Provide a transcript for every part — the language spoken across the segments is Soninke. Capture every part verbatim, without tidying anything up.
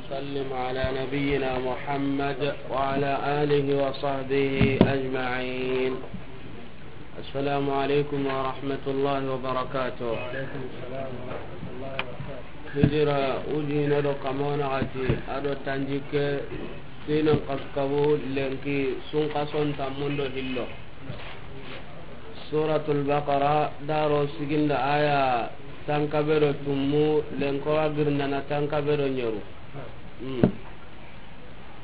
وسلم على نبينا محمد وعلى آله وصحبه أجمعين. السلام عليكم ورحمة الله وبركاته. Hijira ujine do kamona gati ado tanjikke sinen kaskabu lenki sunkason tammundo hillo. Suratul Baqara daro siginda aya tankabe do tummu lenko agirndana tankabe do nyeru. Hmm.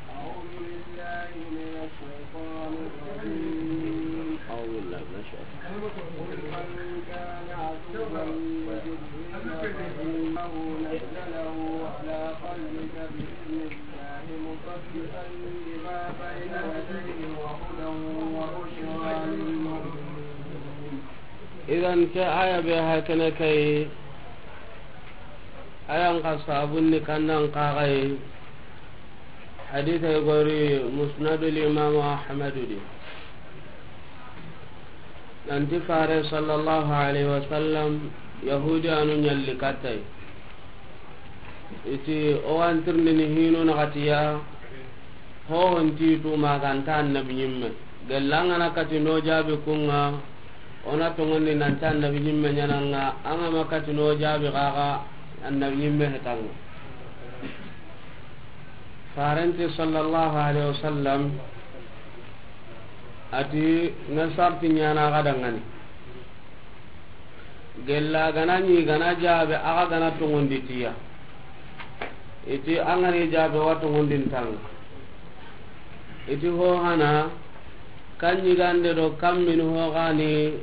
أعوذ بالله من الشيطان الرجيم. أعوذ بالله من الشيطان. قل من كان عدوا لجبريل فإنه نزله على قلبك بإذن الله مصدقا لما بين يديه وهدى وبشرى للمؤمنين. Idan ke aya be hakene kai, ayan ka sabunni kannan kagai. Hadith ay gori Musnadul Imam Ahmad di. Nanti Fare sallallahu alaihi wasallam Yahudi anu nyalli katai. Iti o antirni ni hino na katiya. Ho honti tu maganta annabi nyimme. Gellanga na kati no jabi kunga. Ona tongondi nanta annabi nyimme nyananga. Anga ma kati no jabi kaga annabi nyimme hetanga. Farenti sallallahu alaihi wasallam ati na sarti nyana gadangani. Gella gana ni gana jabe aga gana tongondi tiya. Iti angani jabe wa tongondin tanga. Iti ho hana kan yigande do kan min ho gani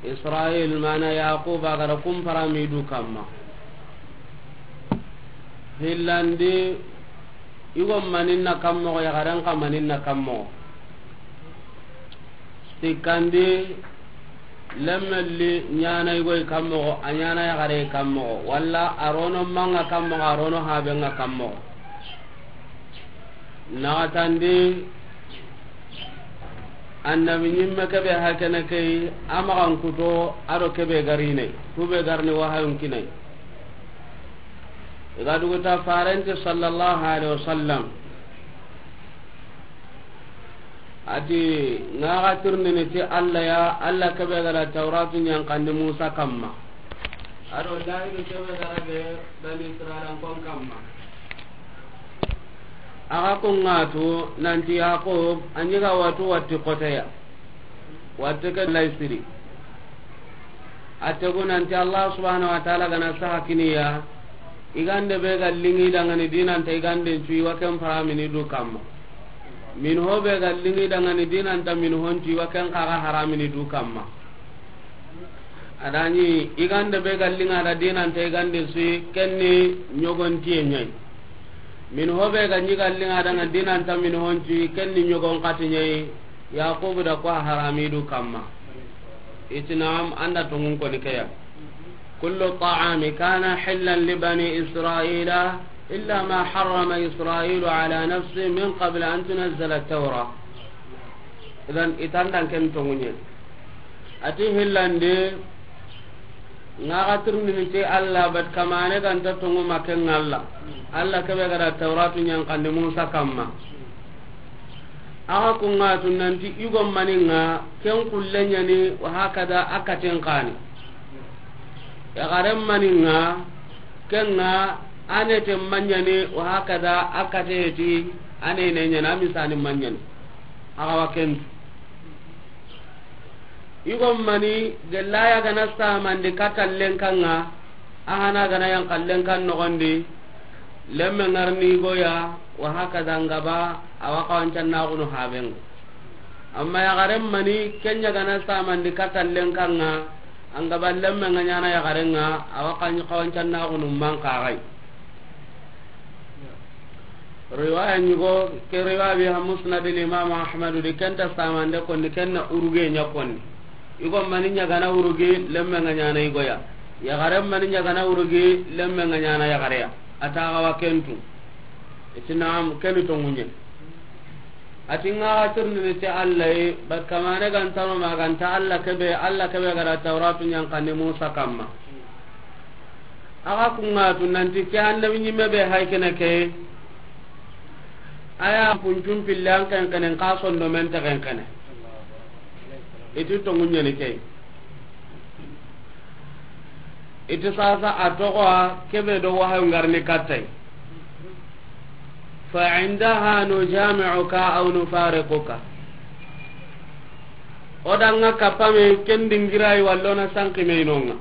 Israil mana Yaqub agara kumpara midu kamma. Hillandi igo maninna kammogo yagaren ka maninna kammogo. Sikkandi lemmelli nyana igoyi kammogo a nyana yagare kammogo walla arono manga kammogo arono habenga kammogo. Naxatandi annabi nyimme kebe hakene kei amaxan kuto ado kebe garine kube garni wahayun kinai. Iga duguta farenti sallallahu alaihi wasallam ati ngaxa tirnini ti Allah ya Allah kebe gada tauratu nyankandi Musa kamma. Ado lahidu kebe gada be bani Israilan kon kamma. Aga kungatu nanti Yaqub anyiga watu watti koteya. Watte ke laysiri. Ategu nanti Allah subhanahu wa ta'ala gana saha kiniya. Igande be ga lingi dangani dinanta igande cuyi wa ken paramini du kamma. Min ho be ga lingi dangani dinanta min hon cuyi wa ken kaga haramini du kamma. Adani igande be ga linga da dinanta igande suyi kenni nyogon tiye nyai. Min ho be ga nyiga linga danga dinanta min hon cuyi kenni nyogon kati nyai. Yaqubu da ko haramidu kamma. Iti naam anda tongun koni keya. Kullu ta'ami kana hillan li bani Israila illa ma harrama Israilu ala nafsi min qabl an tunazzala at-taura. Idan itandan ken tongunye. Ati hillande Nga ga tirindini ti Allah bat kamane ganta tongu maken Allah. Allah kebe gada Tauratu nyankandi Musa kamma. Aga kunga tunanti igo maninga ken kulle nyani wa hakada akaten kani. Ya garen maninga kenga anete manyani wa hakada akate ti anene nyana misani manyani. Aga wakentu. Igo mani gellaya gana samandi katallen kanga, ahana gana yankallen kan nogondi, lemme ngarni igoya, wa hakaza ngaba, awa kawancannaxunu habenga. Amma yaxaren mani kenya gana samandi katallen kanga, angaba lemme nga nyana yaxarenga, awa kawancannaxunu mankaxay. Riwaya ñugo ke riwaya bi ha Musnad al Imam Ahmad di kenta samande konni kenna uruge ña konni. Igo mani ñagana urugi lemme nga ñana igoya. Yaxare mani ñagana urugi lemme nga ñana yaxareya. Ata gawa kentu. Iti naam keni tonguñe. Ati nga ga tirnini ti Allah yi, bat kamane gantano ma ganta Allah kebe, Allah kebe gara Tauratu ñankandi Musa kamma. Axa kunŋa tu nanti ke annabi ɲimme be hay kene ke. Aya puncun pille an kenkene, n xa sondomen te kenkene. I ti tonŋu ɲeni ke. I ti sasa a toxo a kebe do wahayu ngarni kattay. فعندها نجامعك أو نفارقك. O da ŋa kapame ken dingirayi walla o na sanki me i nonŋa.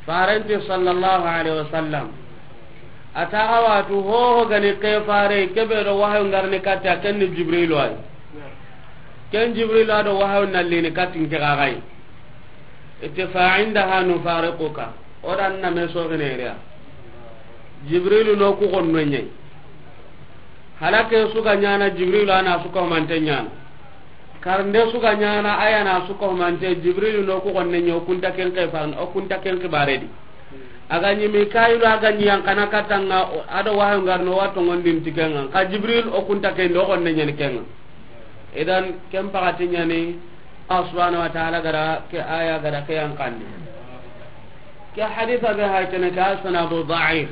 Farenti sallallahu alaihi wasallam. A taxa watu hoho gani ke fare kebe do wahayu ngarni katta ken ni Jibrilu ay. Ken Jibrilu a do wahayu nallini kattin ke gagai. Ite فعندها نفارقك. O da na me so gine riya. Jibrilu no ku gonno ɲey. Halake suga ɲana Jibrilu ana suka mante ɲana. Karnde suga ɲana ayana suka mante Jibrilu no ku gonne ɲo kunta ken ke fan o kunta ken ke baredi. Aga ɲi Mikailu aga ɲi yan kana katanga ado wahayu ngarno wato ngondin tikenga. Ka Jibril o kunta ken do gonne ɲen kenga. Idan ken pagati ɲani Allah subhanahu wa ta'ala gara ke aya gara ke yan kandi. Ke haditha be hay kene ka sanadu da'if.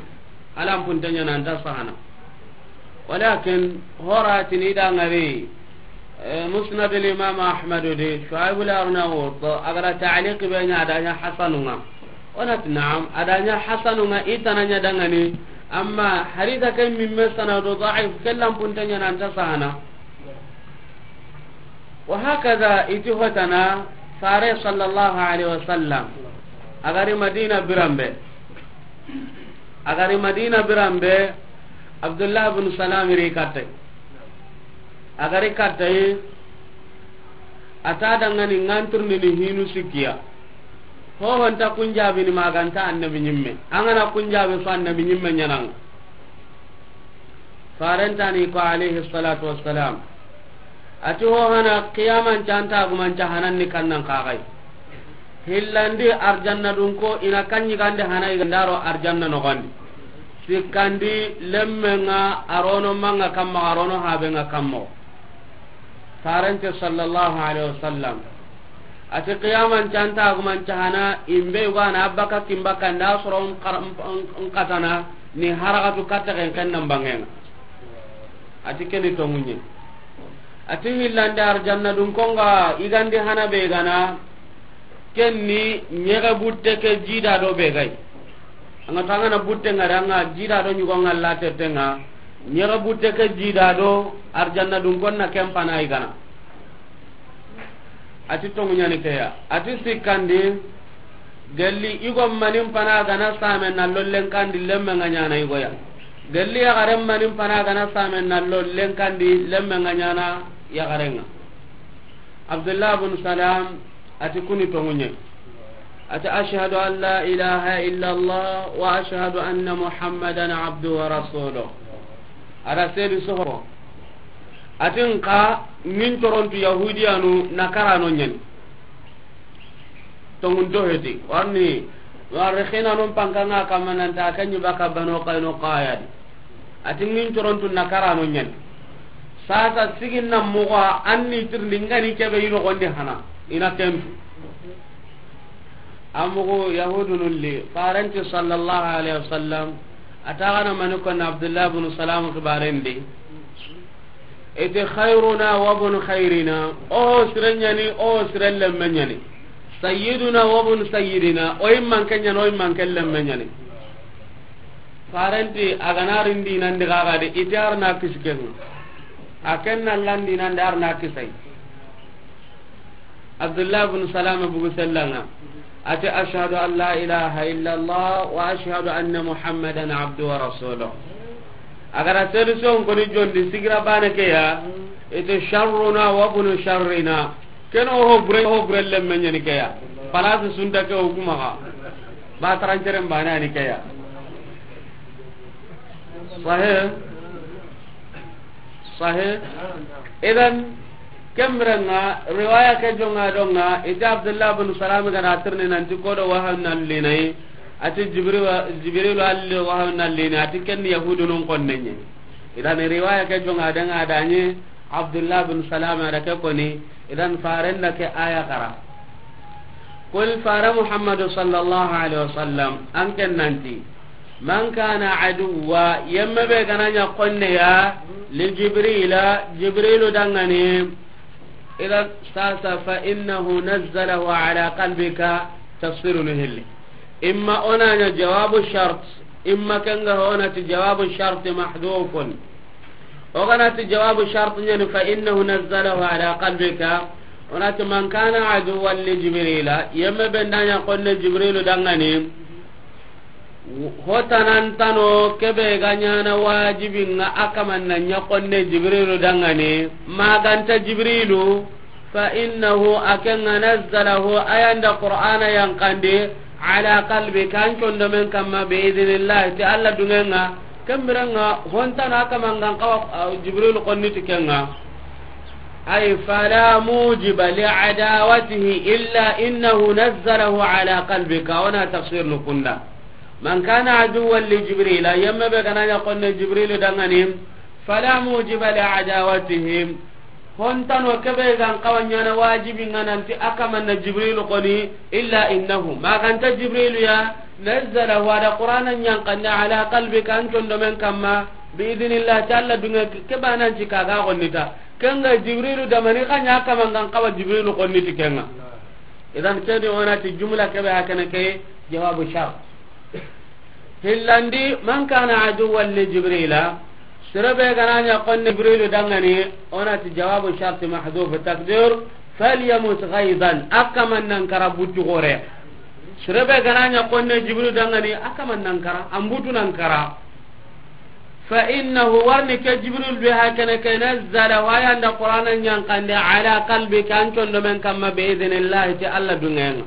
Alam punta ɲana anta sahana. Walakin horatini da ngari, eh, Musnad al-Imam Ahmad di, Shuaib al-Arnaut, agara ta'liq be ɲa da ɲa hasanunga. Onat na'am, a da ɲa hasanunga itana ɲa dangani, amma haditha ke mimme sanadu da'if, kellan punta ɲana anta sahana. Wa hakaza iti hotana, fare sallallahu alaihi wasallam, agari Madina birambe. Agari Madina birambe, Abdullah bin Salam ri kattay. Agari kattay, ata dangani nganturni ni hinu sikkiya. Hohonta kunjabini maganta annabi ɲimme. Angana kunjabi so annabi ɲimme ɲananga. Farentani ko alayhi salatu wassalam. Ati ho hana qiyaman canta gumanca hananni kannan kaxay. Hillandi arjanna dun ko ina kanyi gande hana igandaro arjanna nogondi. Sikkandi lemmenga arono manga kamma arono habenga kammo. Farente sallallahu alaihi wasallam. Ati qiyaman canta gumanca hana imbe ugana abbaka kimbaka nda soro nkatana ni harakatu katta ken ken nan bangenga. Ati keni tongunye. Ati hillande arjanna dun konga igandi hana be gana. Kenni nyega butte ke jida do be gai. Anga tangana butte ngara anga jida do nyugo ngalla tettenga. Nyega butte ke jida do arjanna dun konna kempana igana. Ati tonguñani keya. Ati sikkandi, gelli igo manin pana gana same na lollen kandi lemme nga ñana igoya. Gelli yaxaren manin pana gana same na lollen kandi lemme nga ñana yaxarenga. Abdullah bin Salam ati kuni tonguñe. Ati, "Ashhadu an la ilaha illa Allah wa ashhadu anna Muhammadan abdu wa rasuluh." Ada sedi soho. Atin ka nin torontu Yahudiyanu na karano ñani. Tongun doheti. Warni, warri xina non pankanga kamananta kanyi baka bano kayno kayadi. Ati ngin corontu na karano ñani. Sasa sigin na moxo a, an ni tirindi ngani kebe yi noxondi hana. Ina kentu. A moxo Yahudunun li, farenti sallallahu alaihi wasallam, a taxana mani konna Abdullah bin Salam xibarendi. Iti khairuna wa bun khairina, o siren ñani, o siren lemme ñani. Sayyiduna wa bun sayyidina, o imman ke ñani, o imman ke lemme ñani. Farenti a gana ri n dinandi xaxa de, iti ar na kisi ken ŋa. A ken na la n dinandi ar na kisay. Abdullah bin Salama bugu sellanga. Ati, "Ashhadu an la ilaha illa Allah wa ashhadu anna Muhammadan abdu wa rasuluh." A gara solution koni jondi sigira bane ke ya, iti, "Sharruna wa bunu sharrina." Ken o ho bure, ho bure lemme ñani ke ya. Palasi sunta ke o kuma ga. Ba taranceren bane ani ke ya. Sahih. Sahih. Idan, kemrenga, riwaya ke jonga donga, iti Abdullah bin Salam gana tirni nanti kodo wahan nan linai, ati Jibril, Jibril alli wahan nan linai, ati ken Yahudunun konnenye. Idan, riwaya ke jonga danga adanye, Abdullah bin Salam ada ke koni, idan farenda ke aya kara. Kul fara Muhammadu sallallahu alaihi wasallam, an ken nanti, man kana aduwa, yemme be gana ɲa konne ya, li Jibrila, Jibrilu dangani, ila sasa, fa innahu nazzalahu ala qalbika, tafsirunu hilli. Imma o na ɲa jawabu shart, imma ken ga o na ti jawabu shart mahdhufun. O ga na ti jawabu shart ɲa ni, fa innahu nazzalahu ala qalbika. O na ti man kana aduwan li Jibrila, yemme be nda ɲa konne Jibrilu dangani. Ho tanantano ke be ga ɲana wajibi ŋa a kaman na ɲa konne Jibrilu dangani. Ma ganta Jibrilu, fa innahu, a ken ŋa, nazzalahu, a yan da Qur'ana yanqandi, ala qalbika, an condomen kamma, bi idhnillah, ti Alla duŋen ŋa. Ken biren ŋa, ho ntano a kaman ga n xawa, ah, Jibrilu konni ti ken ŋa. Ay, fala mujiba li adawatihi illa innahu nazzalahu ala qalbika. O na tafsir nu kunda. Man kana aduwan li Jibrila, yemme be gana ɲa konne Jibrilu dangani, fala mujiba li adawatihim. Ho ntano ke be ga n xawa ɲana wajibi ŋa nanti a kaman na Jibrilu koni, illa innahu, ma ganta Jibrilu ya, nazzalahu, a da Qur'ana yanqandi, ala qalbika, an condomen kamma, bi idhnillah, ti Alla duŋe, ke banan ti ka ga konni ta. Ken ga Jibrilu da mani xa ɲa a kaman ga n xawa Jibrilu konni ti ken ŋa. Idan ke di o na ti jumla ke be hakene ke jawabu shart. Hillandi, man kana aduwan li Jibrila, sere be gana ɲa konne Jibrilu dangani, o na ti jawabu shart mahdhuf, taqdir, falyamut ghayzan, a kaman nan kara butu gore. Sere be gana ɲa konne Jibrilu dangani, a kaman nan kara, an butu nan kara. Fa innahu, warni ke Jibril be hakene ke, nazzala, wa yan da Qur'ana yanqandi, ala qalbika, an condomen kamma, bi idhnillah, ti Alla duŋen ŋa.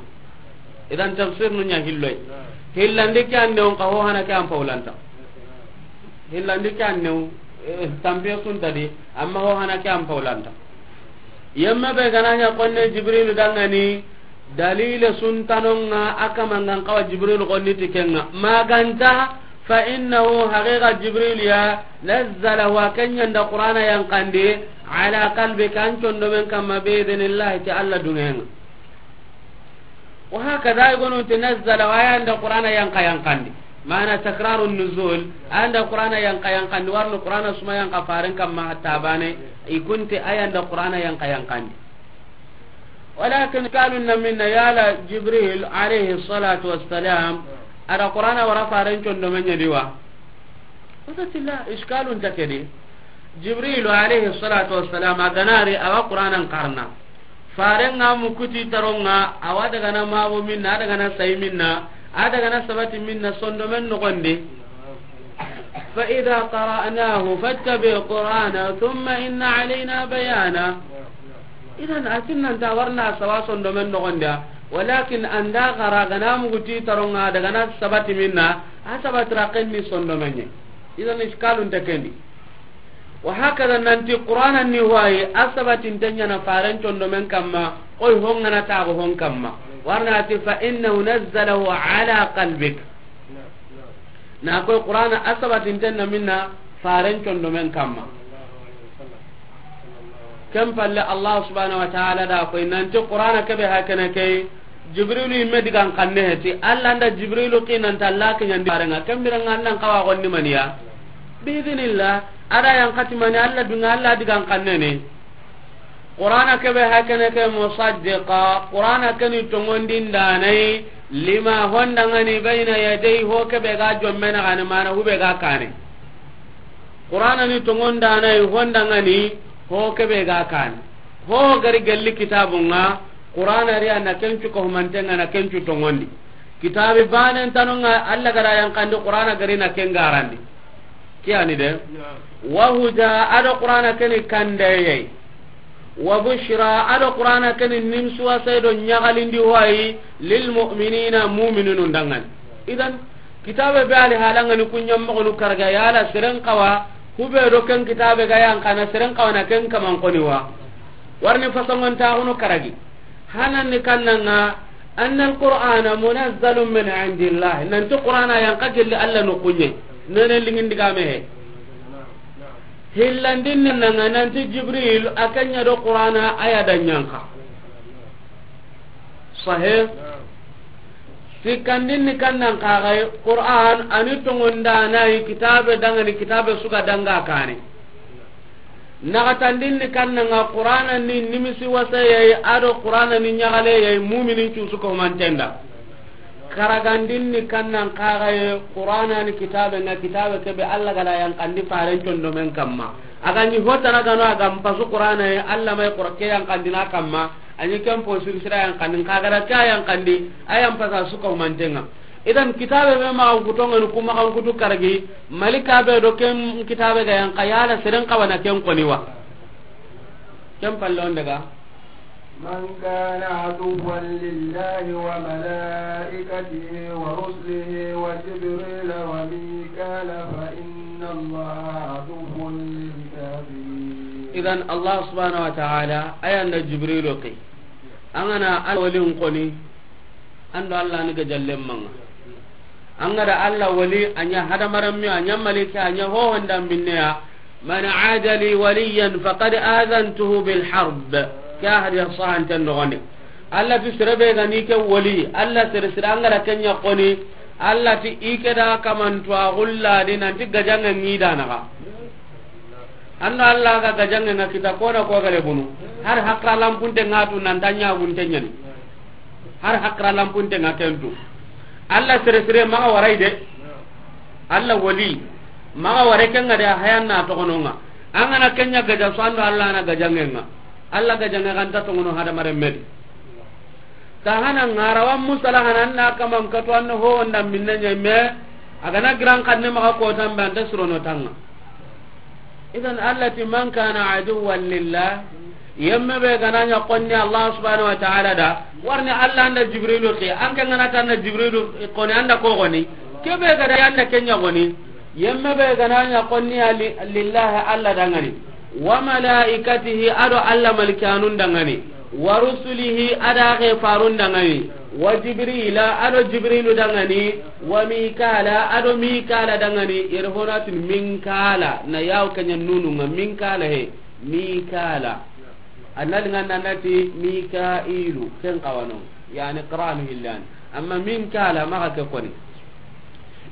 Idan tafsir nu ɲa hilloy. Hillandi ke an ne on ka ho hana ke an paulanta. Hillandi ke an ne on, eh, tampiye sunta di, amma ho hana ke an paulanta. Yemme be gana ɲa konne Jibrilu dangani, dalile suntanon ŋa a kaman ga n xawa Jibrilu konni ti ken ŋa. Ma ganta, fa innahu, haqiqa Jibrilu ya, nazzalahu, a ken yan da Qur'ana yanqandi, ala qalbika, an condomen kamma, bi idhnillah, ti Alla duŋen ŋa. Wa hakada, i gonu ti nazzala, wa yan da Qur'ana yanqa yanqandi. Mana takrarun nuzul, a yan da Qur'ana yanqa yanqandi, warni Qur'ana suma yanqa faren kamma hatta bane, i kunti a yan da Qur'ana yanqa yanqandi. Walakin kalun na minna yala Jibril alayhi salatu wassalam, a da Qur'ana wara faren condomen ɲa di wa. Wasatilla, iskalun ta ke di. Jibrilu alayhi salatu wassalam, a gana ri, a wa Qur'anan xarana. Faren ŋa mu kuti taron ŋa, a wa daga na mabu minna, a daga na sayi minna, a daga na sabati minna, sondomen noxondi. Fa idha qara'nahu fattabi' qur'ana, thumma inna alayna bayana. Idan, a ti nan ta warna sawa sondomen noxondi ya, walakin an da xara gana mu kuti taron ŋa, daga na sabati minna, a sabati ra ken ni sondomen ɲa. Idan, iskalun ta ke di. Wa hakada, nanti Qur'ana ni wayi, a sabatinte ɲa na faren condomen kamma, koy ho ŋa na taxu hon kamma. Warna ti fa innahu nazzalahu ala qalbik. Na koy Qur'ana a sabatinte na minna faren condomen kamma. Ken palle Allah subhanahu wa ta'ala da koy nanti Qur'ana ke be hakene ke, Jibrilu yimme digan xanne heti, Alla nda Jibrilu xi nan ta Alla kiɲandi faren ŋa, ken biren ŋa nan xawa gonni maniya. Bi idhnillah, a da yanqati mani, Alla duŋa, Alla digan xanne ni. Qur'ana ke be hakene ke musaddiqa, Qur'ana ke ni tonŋondindaana yi, lima, ho nda ŋa ni, bayna yadayhi, ho ke be ga jomme na gani, mana hu be ga kane. Qur'ana ni tonŋondindaana yi, ho nda ŋa ni, ho ke be ga kane. Ho gari gelli kitabun ŋa, Qur'ana ri a na ken cu ko humanten ŋa na ken cu tonŋondi. Kitabi banen tanon ŋa, Alla ga da yanqandi Qur'ana gari na ken garandi. Ke yani de. Naam. Wa huda, a do Qur'ana ke ni kandeye. Wa bushra, a do Qur'ana ke ni nimsuwase do ɲaxalindi hoyi, lil mu'minina, mu'mininu danŋa ni. Idan, kitabe be ali halan ŋa ni ku ɲa moxonu karagi yala seren xawa, hu be do ken kitabe ga yanqana seren xawa na ken kaman koni wa. Warni fasongon taxunu karagi. Hananni kannan ŋa, anna alqur'ana munazzalun min indillah. Nanti Qur'ana yanqa gelli Alla noxun ɲa. Nene lingin digame he. Hillandin nan ŋa nanti Jibril a ke ɲa do Qur'ana a ya da ɲanqa. Sahih. Sikkandin ni kannan kaxay, Qur'an ani tongondanayi kitabe dangani, kitabe suga danga kane. Naxatandin ni kannanga, Qur'ana ni nimisi wasayeyi, ado Qur'ana ni ɲaxaleyeyi, muminin cusu ko humantenda. Karagandin ni kannan kaxaye, Qur'ana ni kitabe nga, kitabe kebe Allah gada yankandi faren condomen kamma. Aga ni hotana gano aga mpasu Qur'ana ye, Allah may Qur'an ke yankandina kamma. Ani ken po siri sira yankandi, kagara ka yankandi, ayan pasa suka humantenga. Idan kitabe be maxan kutongani ku maxan kutu karagi, malika be do ken kitabe ga yanka yala seren kawana ken koni wa. Ken palle on daga. من كان عدوا لله وملائكته ورسله وجبريل وميكال فإن الله عدو للكافرين. Idan Allah subhanahu wa ta'ala ayanda Jibrilu ke. An gana Allah walin koni, an do Allah ni gajallen manga. An gada Allah wali, a ɲa hadamaran mi, a ɲa malika, a ɲa hohonda minneya. من عادى لي وليا فقد آذنته بالحرب. Ke hadisa sahanten noxondi. Allah ti sere be gani ke wali, Allah sere sere an gada kenya koni. Allah ti i ke da kamantu a gulla di nanti gajange ngidanaga. Ando Allah ga gajange nga kita kona ko gare bunu. Har hakra lampunte ngatu nan tanya gunte nyani. Har hakra lampunte nga kentu. Allah sere sere maga warai de. Allah wali. Maga ware kenga de hayanna to gononga. Angana kenya gaja so ando Allah na gajange nga. Allah gajange kan ta to gono hada mare medi. Tahana ngarawa musala hanan na kaman katu anno ho onda minna nyame. Agana giran kanne maga ko tambe anta surono tanga. Idan Allah ti من كان عدوا لله, yemme be gana ɲa konni Allah subhanahu wa ta'ala da, warni Allah anda Jibrilu ke, an ke ngana tanna Jibrilu koni anda ko koni, ke be gada anda kenya koni, yemme be gana ɲa konni ya li-, lillahi Allah dangani, وملائكته ado Allah malikanun dangani, ورسله ada ke farun dangani, وجبريل ado Jibrilu dangani, وميكال ado Mikala dangani, yere honatin Minkala, na yaw kanya nunu nga Minkala he, Mikala. Annal ngan nanati Mikailu, ken kawano, yani Qur'an hillan. Amma Minkala maga ke koni.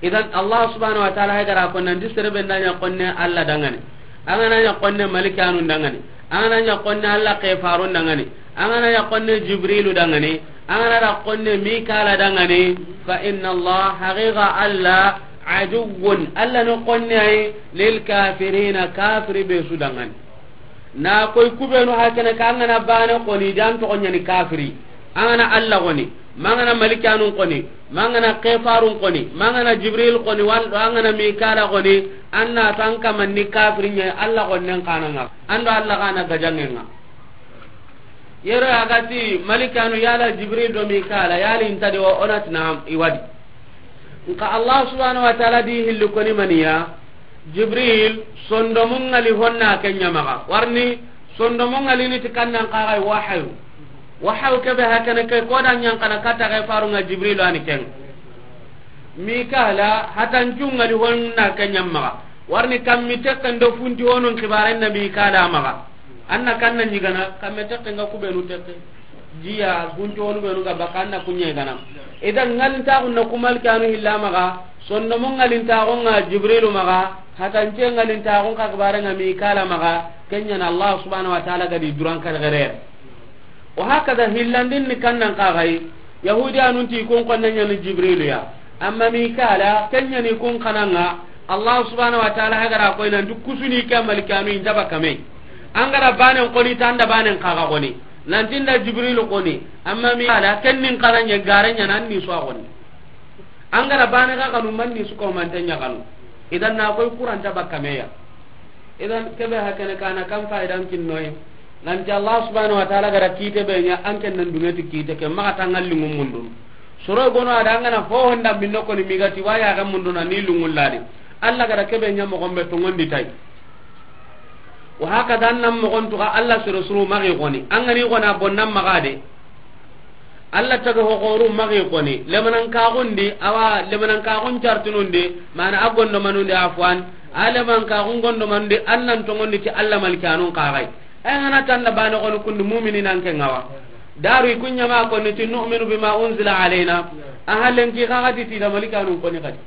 Idan Allah subhanahu wa ta'ala hay gara ko nan di sere be nda ɲa konne Allah dangane. An gana ɲa konne malikanu dangane. An gana ɲa konne Allah ke farun dangane. An gana ɲa konne Jibrilu dangane. An gana da konne Mikala dangane. Fa inna Allah, haqiqa Allah, aduwwun, Allah no konne ay, lil kafirina, kafiri be su dangane. Na koy kubenu hakene ka an gana bane koni dan to nyani kafiri. An gana Allah koni, mangana malikanun koni, mangana kefarun koni, mangana Jibril koni, wal angana Mikala koni, anna tan kamanni kafiri nya Allah konnen kananga. Ando Allah kana gajangenga. Yero agati malikanu yala Jibril do Mikala yali intadi o onat na iwadi. Nka Allah subhanahu wa ta'ala di hilli koni maniya, Jibril, sondomun ngali honna kenya maga. Warni, sondomun ngali ni tikannan kagai wahayu. Wahayu kebe hakana ke koda nyankana kata kai farunga Jibril ani ken. Mikala, hatancun ngali honna kenya maga. Warni kammi tekken do funti honun kibaren na Mikala maga. Anna kanna nyigana, kamme tekken ga kubenu tekke. Jiya, gunjonu benu ga baka anna kunya gana. Idan ngalintaxun na ku malikanu hilla maga, sondomo ngalintaxun nga Jibrilu maga, hatance ngalintaxun ka kibare nga Mikala maga, kenya na Allah subhanahu wa ta'ala gadi duran kare gare. Wa hakada hillandin ni kannan kagai, Yahudiyanun ti kun konne nya ni Jibrilu ya. Amma Mikala, kenya ni kun kananga, Allah subhanahu wa ta'ala hagara koy nan du kusuni ka malikanu inta bakame. Angara banen koni tanda banen kaga koni. Nanti nda Jibrilu koni, amma mi ala kennin karanya garanya nan ni so koni. Angara bane ka kanu man ni su ko man tanya kanu. Idan na koy Qur'an ta bakka meya. Idan kebe hakene kana kan faidan kinnoy. Nanti Allah subhanahu wa ta'ala gara kite be nya an ken nan dungeti kite ke maka tangal lingum mundun. Soro gono ada ngana ho honda binno koni migati waya ga mundun ni lungul ladi. Allah gara kebe nya mo gombe to ngondi tay. Wa hakada an nan moxon tuxa Allah soro suru maxi xoni. An gani xona bonnan maxa de. Allah taga hoxoru maxi xoni. Lemanan kaxundi, awa lemanan kaxun cartunundi, mana a gondomanundi a fuwan. A leman kaxun gondomanundi, an nan tongondi ti Allah malikanun kaxay. Ay ngana tanda bane xoni kundi mumini nan ke ngawa. Daru i ku ɲa ma koni ti nu'minu bima unzila alayna. A halen ki xa ga ti ti da malikanun koni xadi.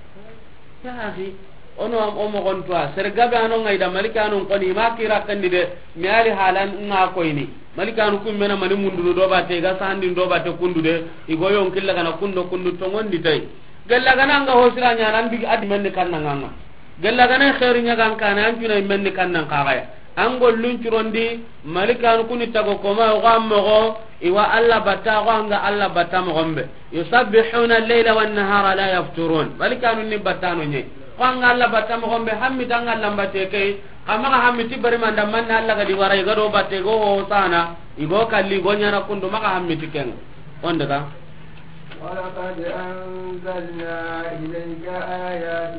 Ya axi, o no o moxon tuwa, sere gabe a no ŋa i da malikanun koni, i ma kira kandi de, mi ali halan ŋa koyini. Malikanu ku me na mani mundunu do batte, i ga sandin do batte kundu de, i go yon killa gana kundo kundu tongondi tay. Gella gana ŋa ho sira ɲa nan bigi adi menni kanna ŋa ŋa. Gella gana xeeri ɲa ga n kana an cuna menni kanna n xaxaya. An gollun curondi, malikanu kuni tago koma o ga moxo, i wa Alla batta, o ga ŋa Alla batta moxon be. Yusabbihuna al-layla wan-nahara la yafturun. Malikanu ni battano ɲe. Ko an ŋa Alla batta moxon be, hammi tanga lambate kay, xa maxa hammi ti bari manda manna Alla ga di wara i ga do batte go ho sana, i go kalli go ɲana kundu maxa hammi ti ken. On daga. ولقد أنزلنا إليك آيات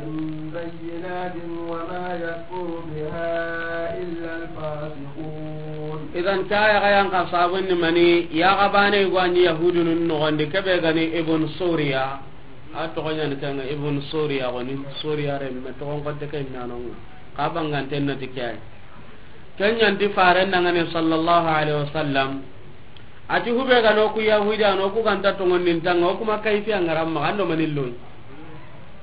بينات وما يكفر بها إلا الفاسقون. Idan, ta ya ga yan ka sabun ni mani, ya ga bane go an Yahudunun noxondi, kebe gani Ibn Suriya. A toxo ɲani kanga Ibn Suriya goni, Suriya remme, toxon kotte ke nanonga. Ka banganten na ti ke ay. Ken ɲanti faren dangane sallallahu alaihi wasallam. A ti hube ga no ku Yahudi, a no ku ganta tongondin tanga, o kuma kayfi a ŋaran maxa, an do mani loyi.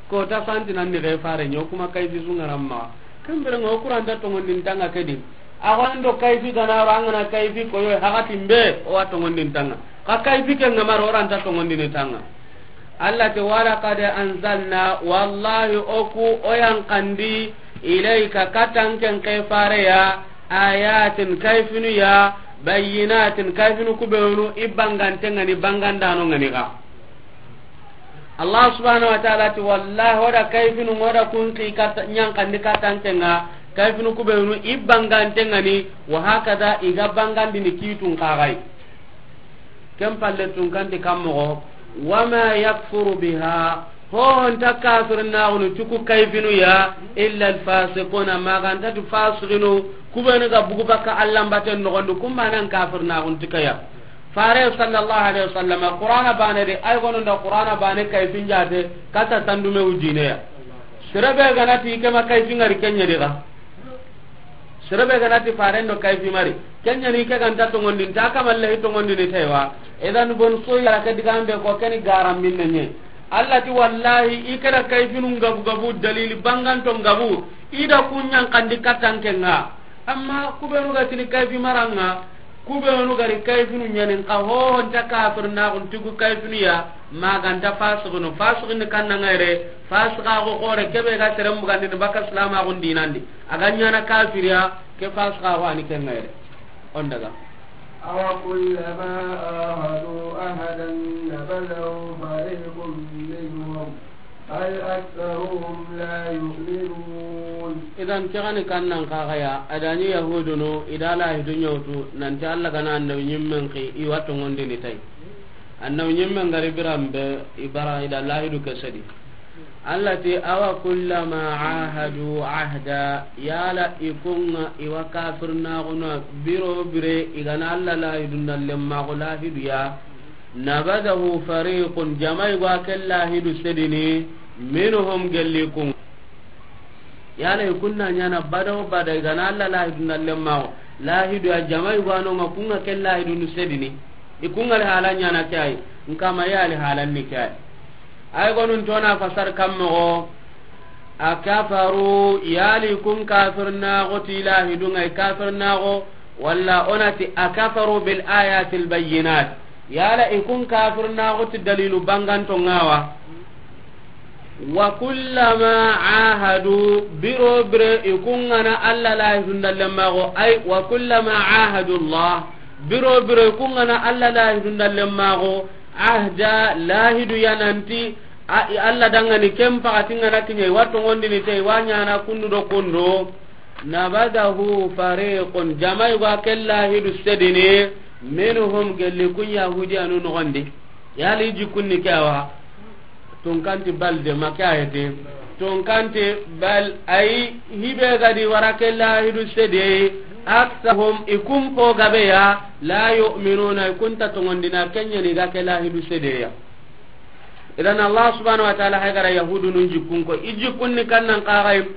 Ko ta santi nan ni ga fare ɲa, o kuma kayfi su ŋaran maxa. Ken bire ŋa o kuranta tongondin tanga ke di. A go an do kayfi gana ro, an gana kayfi koyo, hakatin be, o wa tongondin tanga. Ka kayfi ke ŋa ma ro, o ranta tongondin tanga. Alla ti, "Walaqad anzalna," wallahi o ku o yan kandi, "ilayka," katan ken ke fare ya, "ayatin," kayfinu ya, "bayyinatin," kayfinu kubenu i bangante ŋa ni, bangandano ŋa ni ga. Allah subhanahu wa ta'ala ti, "Wallahi, o da kayfinu, o da kun ki kata, ɲan kandi katan ken ŋa, kayfinu kubenu i bangante ŋa ni, wa hakada i ga bangandini kitun kagai." Ken palle tun kanti kammoxo, "Wama yakfuru biha," ho honta kafirnaxunu tuku kayfinu ya, "illa alfasiquna," maganta tu fasiqinu, kubenu ga bugu baka allambaten noxondu, kumbanan kafirnaxun tikaya. Fare sallallahu alaihi wasallam, Qur'ana bane de, ay gonunda Qur'ana bane kayfin jate, kata tandume ujineya. Serebe ganati kema kayfin ngari kenya diga. Serebe ganati faren do kayfi mari. Kenya ni ke ganta tongondin ta kamalle tongondin ni taywa. Idan bon so ya ke digambe ko keni garam minne nye. Allah ti wallahi i kera kayfinu ngabu gabu dalili banganto ngabu. Ida kunyan kandi katanke nga. Amma kubenu ga tini kayfi maranga. Kubenu gari kayfinu ɲanin ka ho nta kafirnaxun tugu kayfinu ya. Maganta fasiqinu. Fasiqinu kanna ngayre. Fasiqaxu xore kebe ga serem bugandini baka silamaxun dinandi. A ga ɲana kafiriya, ke fasiqaxu ani ke ŋayre. On daga. أوكلما عاهدوا عهدا نبذه فريق منهم بل أكثرهم لا يؤمنون. Idan, ke gani kannan kaxaya, a dani Yahudunu, i da lahidu ɲawtu, nanti Allah gana annabi ɲimmen xi, i wa tongondini tay. Annabi ɲimmen gari biranbe, i bara, i da lahidu ke sedi. Allah ti, "Awa kullama ahadu ahda," yala i kunga i wa kafirnaxuna biro bire i gana Allah lahidu nda lemmaxu lahidu ya, "nabadahu fariqun," jamai ga ken lahidu sedini, "minhum," gelli kunga. Yala i kunna ɲana bada o bada i gana Allah lahidu nda lemmaxu lahidu ya, jamai ga nonga kunga ken lahidu nu sedini. I kunga li hala ɲana ke ay, nkama yali halan ni ke ay. Ay gonun tona fasar kammoxo, akafaru, yali kun kafirnaxo ti lahidunga i kafirnaxo, walla onati akafaru bil ayatil bayyinat, yala i kun kafirnaxo ti dalilu banganto ngawa. Wa kullama ahadu, biro bire i kungana Allah lahidunda lemmaxo, ay, wa kullama ahadu Allah, biro bire i kungana Allah lahidunda lemmaxo, ahda, lahidu yananti, a, i Allah dangani ken paxati ngana kiɲe, i wa tongondini te, i wa ɲana kundu do kundu, nabadahu fariqun, jamai ga ken lahidu sedini, minhum, gelli kun Yahudiyanu noxondi. Yali jikunni ke awa. Tunkanti bal de, ma ke ayete. Tunkanti bal, ay, hibe gadi wara ke lahidu sede. Aksahum, i kun po gabe ya, la yu'minuna, i kunta tongondina, kenyani ga ke lahidu sede ya. Idan Allah subhanahu wa ta'ala haygara Yahudunun jikun ko, i jikunni kannan kaxay,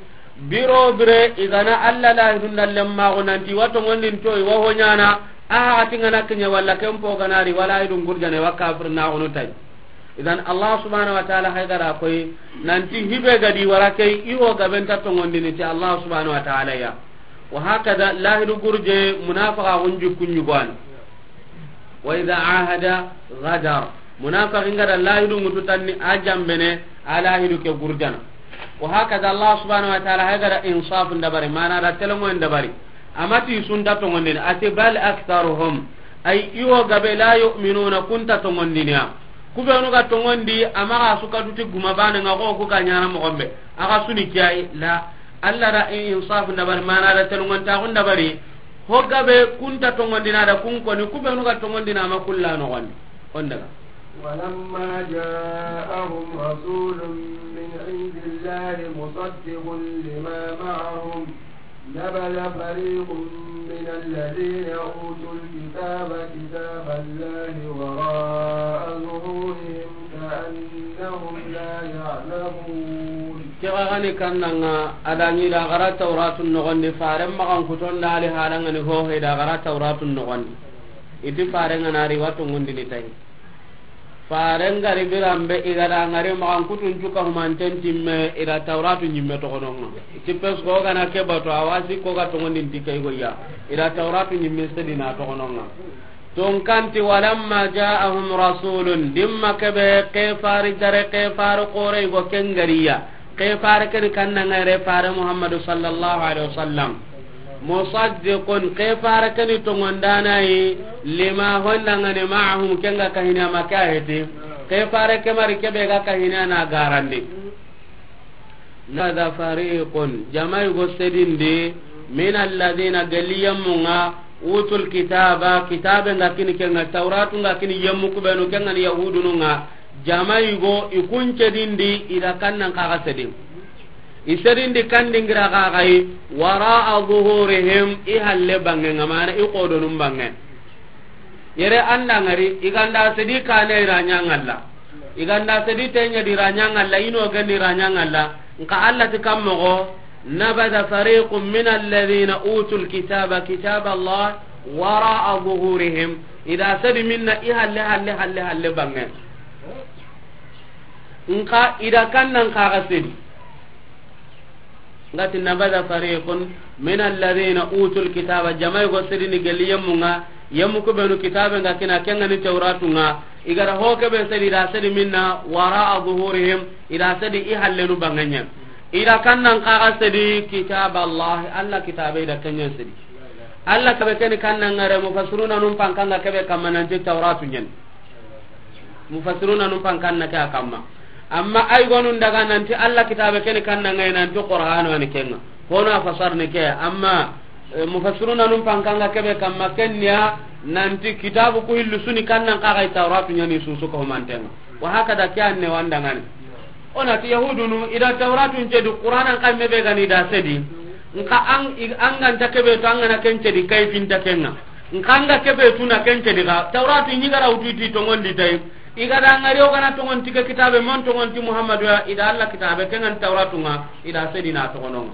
biro bire, i gana Allah lahidun dallen maxu nanti, wa tongondin to, i wa honyana, A haxati ŋa na kiɲa walla ken po ga na ri, wala i dun gurjane wa kafir na xunu tay. Idan Allah subhanahu wa ta'ala hay ga ra koy nanti hibe ga di wara key i wo gabe nta tongondini ti Allah subhanahu wa ta'ala ya. Wa hakada lahidu gurje munafaqa gunji kuɲugwani. Wa idha ahada ghadar. Munafiqin ga da lahidu ŋutu tanni a jambene a lahidu ke gurjana. Wa hakada Allah subhanahu wa ta'ala hay ga da insaf ndabari, mana da telongo ndabari. Amati sunta tongondini ati bal aktharuhum, ay i wo gabe la yu'minuna kunta tongondiniya. Kubenu ga tongondi amaga suka duti guma bane nga ko ku ka ɲana mo gombe. Aga suni kiyai la. Allah da insaf ndabari, mana da telongo ta ndabari. Ho gabe kunta tongondina da kun koni kubenu ga tongondina ma kulla no goni. On daga. ولما جاءهم رسول من عند الله مصدق لما معهم نبذ فريق من الذين أوتوا الكتاب كتاب الله وراء ظهورهم كأنهم لا يعلمون. Kega gani kannanga adani da gara Tauratun nogondi, faren magan kuton da ali halangani hohe da gara Tauratun nogondi. Iti faren ngana ri watu ngundini tayi. Faren gari birambe igada ngari magan kutun cuka humanten timme ida Tauratu nyimme togononga. Iti pes ko gana ke batu awasi ko ga tongondin tike igoya. Ida Tauratu nyimme sedina togononga. Tun kanti walamma ja'ahum rasulun, dimma kebe kefari dare kefari kore igo kengariya. Kefari keni kanna ngare fare Muhammadu sallallahu alaihi wasallam. Musaddiqun, kefari keni tongondanayi, lima hondangani ma'ahum kenga kahini ama kaheti. Kefari kemari kebe ga kahini ana garandi. Nada fariqun, jamai go sedindi, min alladhina, gelli yemmunga, utul kitaba, kitabe nga kini kenga, Tauratu nga kini yemmu kubenu kenga ni yahudunu nga, jamai go i kun cedindi, ida kannan kaga sedin. I sedindi kandingira kagai, wara'a zuhurihim, i halle bange nga mana i kodonun bange. Yere anda ngari, iganda sedi kane iranya ngalla. Iganda sedi tenya di ranya ngalla, ino gani ranya ngalla. Nka Allah ti kammogo, nabada fariqun min alladhina utul kitaba, kitaba Allah, wara'a zuhurihim. Ida sedi minna i halle, halle, halle, halle bange. Nka ida kannan kaga sedi. Ngati nabada fariqun min alladhina utul kitaba, jamai go sedini gelli yemmunga, yemmu kubenu kitabe nga kina kenga ni Tauratu nga, igara ho kebe sedi da sedi minna wara'a zuhurihim, ida sedi i hallenu banganya. Ida kannan kaga sedi kitab Allah, Allah kitabe ida kenya sedi. Allah kabe keni kannan ngare mufassiruna num pankanga kebe kamananti Tauratu nyen. Mufassiruna num pankanna ke a kamma. Amma ay gonun daga nanti Allah kitabe keni kanna ngai nanti Qur'an wani kenga. Hono a fasar ni ke amma, eh, mufassiruna num pankanga kebe kamma kenya nanti kitabu ku hillu suni kannan kagai Tauratu nyani susu ko mantenga. Wa hakada ke anne wandangani. Onati yahudunu ida Tauratun cedi Qur'anan kamme be gani da sedi. Nka an, i, an ganta kebe to an gana ken cedi kayfinta kenga. Nka an ga kebe tuna ken cedi ga Tauratu nyigara ututi tongondi tay. Igada ngari o gana tongon tike kitabe mon tongon ti Muhammadu ya ida Allah kitabe kengan Tauratu nga ida sedina togononga.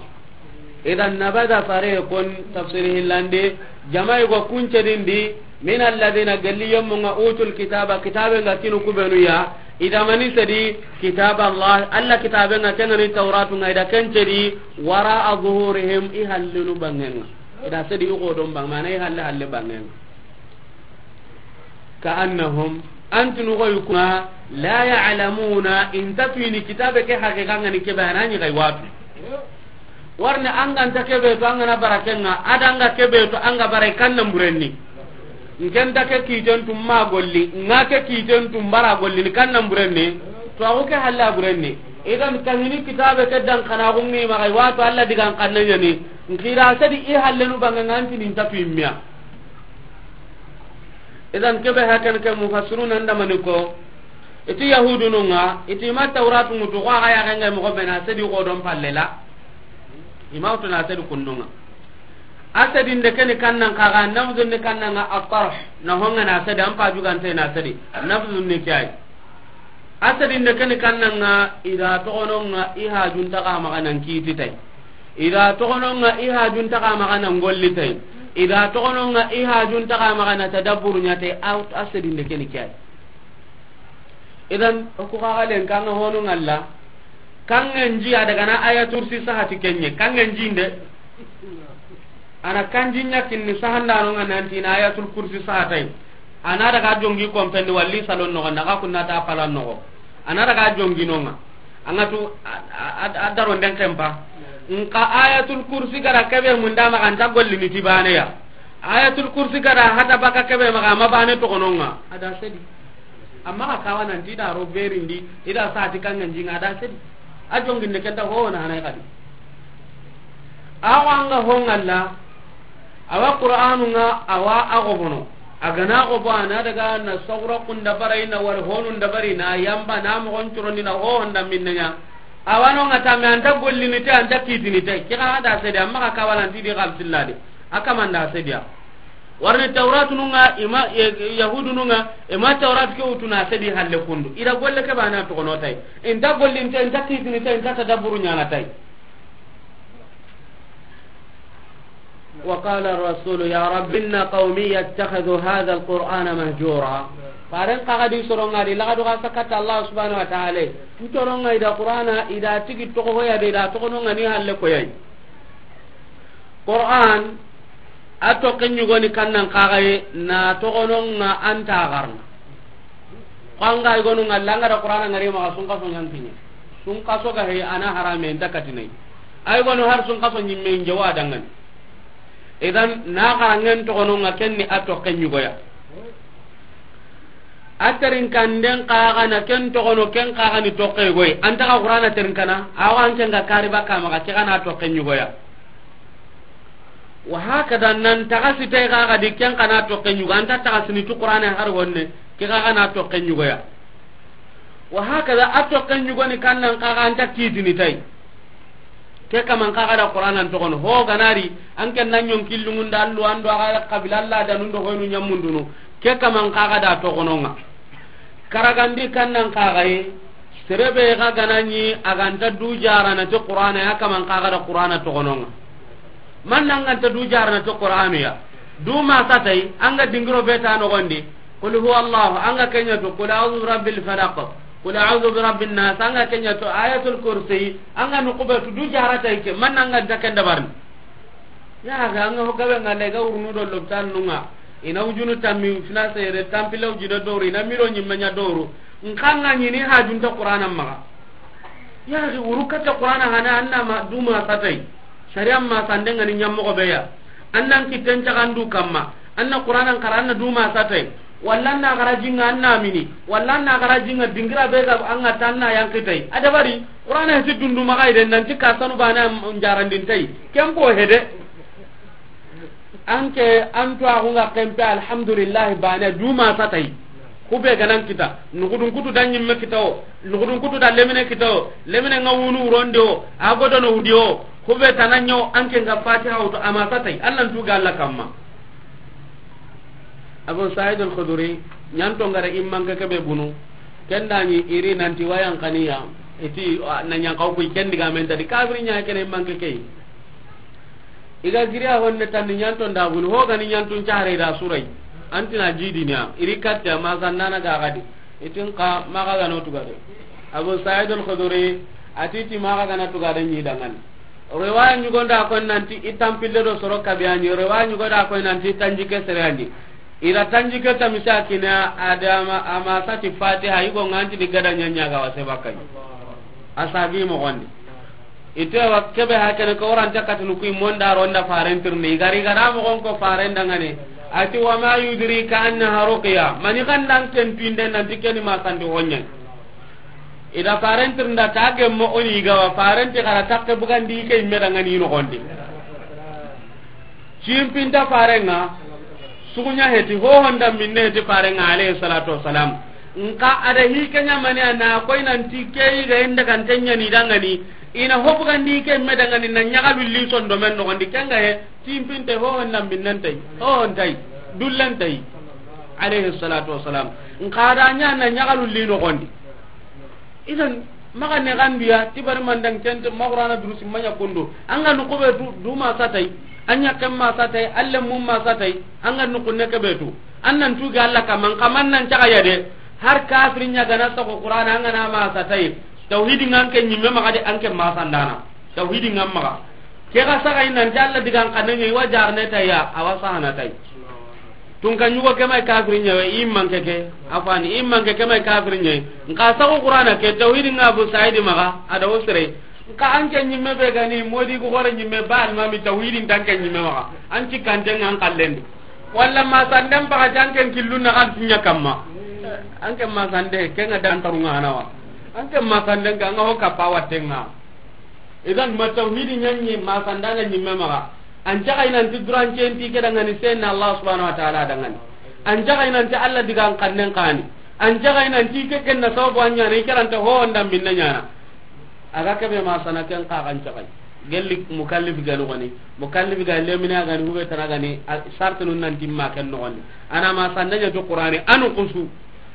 Idan nabada fariqun tafsiri hillandi jamai go kuncedindi min alladhina galli yemmunga utul kitaba kitabe nga kinu kubenu ya ida mani sedi kitab Allah Allah kitabe nga kengani Tauratu nga ida kencedi wara'a zuhurihim i hallinu bangenga ida sedi i godon bang mana i halle halle bangenga. Ka'annahum, antunu goy kuna, la ya'lamuna, inta tuini kitabe ke haqiqa ngani kebe anani gay watu. Warne anganta kebe to angana barakenga, adanga kebe to anga barai kannan burenni. Ngenta ke kiten tumma golli, nga ke kiten tumbara golli ni kannan burenni. To ago ke halla burenni. Idan kahini kitabe ke dan kana gungi ma gay watu Allah digan kannan yani. Nkira sadi i hallenu banga nganti nin tatu immiya. Idan kebe hakan ke mufassiruna ndamani ko iti yahudunu nga iti ma Tauratu mutu ko aga ya ganga mo bena sedi ko don pallela. Imautu na sedi kundunga. Asadi ndekeni kannan kaga nafzu ni kannanga atarh na honga na sedi ampa jugante na sedi nafzu ni kiyai. Asadi ndekeni kannanga ida togononga i hajunta ka maga nan kiti tay. Ida togononga i hajunta ka maga nan golli tay. I da toxono ŋa i hajun taxa maxa na tadabburu ɲa te, a, a sedinde keni ke ay. Idan, o ku xaxalen kanga hono ŋalla, kangen ji a daga na Ayatul Kursi sahati kenye, kangen ji nde. Ana kanji ɲa kinni sahandano ŋa nanti na Ayatul Kursi sahatay. Ana daga jongi kompendi walli salon noxo, naga kunna ta palan noxo. Ana daga jongi no ŋa. Anga tu a, a, a, a daro nden kempa. Nka Ayatul Kursi gara kebe munda maxa anta gollini ti baneya. Ayatul Kursi gara hata baka kebe maxa ma bane toxono ŋa. A da sedi. Amma ka kawa nanti da ro berindi, i da sati kangen ji ŋa, a da sedi. A jonginde kenta ho na hanay kadi. Awa anga ho ŋalla, awa Qur'anu ŋa, awa a gobono. A gana gobo ana daga na sogro kunda barai na wal honu nda bari na yamba na mo gon curondi na ho honda minne ɲa. Awa no ŋa ta me anta gollini te, anta kitini te. Ki ga da sedi, amma ka kawa nanti di ga bismillah de. A kamanda sediya. Warni Tawratu nu ŋa, ima, e, Yahudu nu ŋa, ima Tawratu ke wutu na sedi halle kundu. I da golle ke bana toxono tay. Inta gollinte, inta kitini tay, inta tadabburu ɲana tay. وقال الرسول يا رب إن قومي اتخذوا هذا القرآن مهجورا. Faren xa ga di soro ŋa di, laga do ga sakata Allah subhanahu wa ta'ala. N soro ŋa i da Qur'ana, i da tigi toxo hoya de, i da toxono ŋa ni halle koyay. Qur'an, a toxen ɲugoni kannan kaxaye, na toxono ŋa anta garna. Ko anga i gonu ŋalla, anga da Qur'ana ŋari maxa sunkaso ɲankiɲe. Sunkaso ga he, ana harame, inta katinay. Ay gonu har sunkaso ɲimme inje wa dangani. Idan, na xarangen toxono ŋa kenni a toxen ɲugoya. A terinkanden kaxa na ken toxono, ken kaxa ni toxe goy. Anta ga Qur'ana terinkana, awa an ken ga kari baka maxa, ke ga na toxen ɲugoya. Wa hakada nan taxasi tay kaxa di ken kana toxen ɲugo, anta taxasini tu Qur'ana har wonne, ke kaxa na toxen ɲugoya. Wa hakada a toxen ɲugoni kannan kaxa anta kitini tay. Ke kaman kaxa da Qur'anan toxono. Ho ganari, an ken nan ɲon killungunda allu ando aga kabila alla da nundo hoynu ɲamundunu. Ke kaman kaxa da toxono ŋa. Karagandi kannan kaxaye, serebe ga ganani a ganta du jarana ti Qur'ana ya kaman kaxa da Qur'ana toxono ŋa. Man nan ganta du jarana ti Qur'anu ya. Du ma satay, anga dingiro beta no gondi. Qul huwa Allah, anga kenya to, qul a'udhu bi rabbil falaq, qul a'udhu bi rabbin nas, anga kenya to, Ayatul Kursi, anga nukubetu du jarata ike, man anga da ken dabarni. Ya ga anga ho gabe ngale ga urunu do lopital nunga, ina ujunu tammi fina sere, tampila ujina doru, ina miro nyimme nya doru, nkanga nyini hajunta Qur'ana maga. Ya ga uru kata Qur'ana hana anna ma duma satay. Sariya ma sande ngani ɲammoxo be ya. An nan kitten caxandu kamma. An na Qur'anan xara, an na duma satay. Walla an na xara jinga, an na mini. Walla an na xara jinga dingira be ga an ga tan na yankitay. A dabari, Qur'ana heti dundu maxa ide, nanti ka sanu bana njarandintay. Ken po hede. Anke, an to axu nga kempe, alhamdulillah, bana duma satay. Kube ganan kita, nugudun kutu da ɲimme kita o, nugudun kutu da lemine kita o, lemine nga wunu wuronde o, a godono wudi o, kube tananyo anke nga Fatiha wutu ama satay, Alla ntu ga Alla kamma. Abu Sa'id al-Khudri, ɲanto ngara immanke kebe bunu, kendani iri nanti wayan kaniya, iti, na ɲankaw kuy kendi ga mentadi, kafiri ɲa kene immanke key. Iga giriya honne tanni ɲanto ndaguni, ho gani ɲantun care da surai. Antina jidiniya, iri katte ma sannana ga gadi. Itin ka maga gano tugade. Abu Sa'id al-Khudri, atiti maga gana tugade ni dangan. Riwaya ɲugonda ko nanti i tampille do soro kabiyani, riwaya ɲugonda ko nanti tanjike sereyandi. Ira tanjike tamisa kina adama ama sati Fatiha, igo nganti di gada ɲanya ga wase bakay. Asabi mo gondi. Ite wa kebe hakene ko oranta katunu kuy monda ronda farentirni. Igari gara mo gon ko farendangane. Ati wa ma yudrika annaha ruqya. Mani kandan ken pinde nanti keni ma sandi honye. Ida farentirnda ta gemmo oni gawa farenti gara takke bugandi ke imme dangani no gondi. Cimpinta farenga, sugunya heti, ho honda minne heti farenga, alayhi salatu wassalam. Nka ada hi kenya mani ana koy nanti keyi ga inda kan tenya ni dangani, ina hobu gandi ke me dangani na nyaga lulli sondo men no gondi kenga he, cimpinte ho honda minnentay, ho hontay, dullentay, alayhi salatu wassalam. Nka ada nya na nyaga lulli no gondi. Idan, maga ne gandiya, tibari mandan kente, ma Qur'ana durusi manya kondo. Anga no kobe du, duma satay. An ɲaxen ma sa tay, an lemmun ma sa tay, an ga nuxunne ke be tu. An nan tuge Alla kamma, an xa ma nan caxa ya de. Har kafirin ɲa ga na saxu Qur'ana, an ga na ma sa tay. Tawhidi ŋa an ke ɲimme maxa de, an ke ma sandana. Tawhidi ŋa maxa. Ke ga saxa i nan ti Alla digan xanne ɲa, i wa jarne tay ya, a wa sahana tay. Tun ka ɲugo ke may kafirin ɲa we, i manke ke, afani, i manke ke may kafirin ɲa. Nxa saxu Qur'ana ke, tawhidi ŋa Abu Saidi maxa, a da wo sere. Nka an ke ɲimme be ga ni, modi ku gore ɲimme ba almami tawhidin tan ke ɲimme maxa. An ci kante ŋa an kallendi. Walla ma sanden baga jan ken killun na kan tunya kamma. An ke ma sande, ke ŋa dan tarunga hanawa. An ke ma sanden ka ŋa ho kappa watte ŋa. Idan ma tawhidi ɲa ɲi ma sandana ɲimme maxa. An caxa i nan ti durancen ti ke dangani senna Allah subhanahu wa ta'ala dangani. An caxa i nan ti Alla digan xannen xani. An caxa i nan ti ke ken na sababu an ɲa na i karanta ho wanda minna ɲa na. A ga kebe ma sana ken xa kan caxa. Gelli mukallif ga no gani. Mukallif ga lemina ga ni hube tana ga ni. A, sartunun nan timma ken no gani. Ana ma sandanya to Qur'ani anu kusu.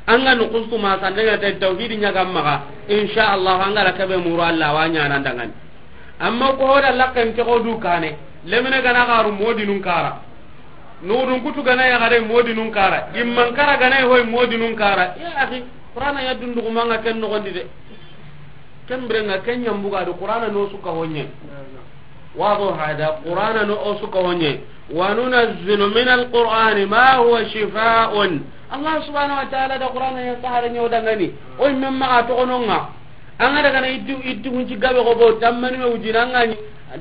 An ga nuxusu ma sandanga ta tawhidi ɲa ga maxa, insha Allah an ga ra kebe muru Allah wa ɲa nan dangani. Amma ko hoda lakken ke ko du kane, lemine ga na garu modinun kara. Nudun kutu ga na ya gare modinun kara. Imman kara ga na hoy modinun kara. Ya akhi, Qur'ana ya dundu ko manga ken no gondi de. Ken birenga ken ɲambuga do Qur'ana no suka honye. Wado hada Qur'ana no o suka honye. Wa nunazzilu min al-Qur'ani ma huwa shifaa'un. Allah subhanahu wa ta'ala da Qur'ana ya sahara nyo dangani. O men maxa to gononga. An ga daga na iddu iddu hunci gabe go bo tammani me wujina ngani.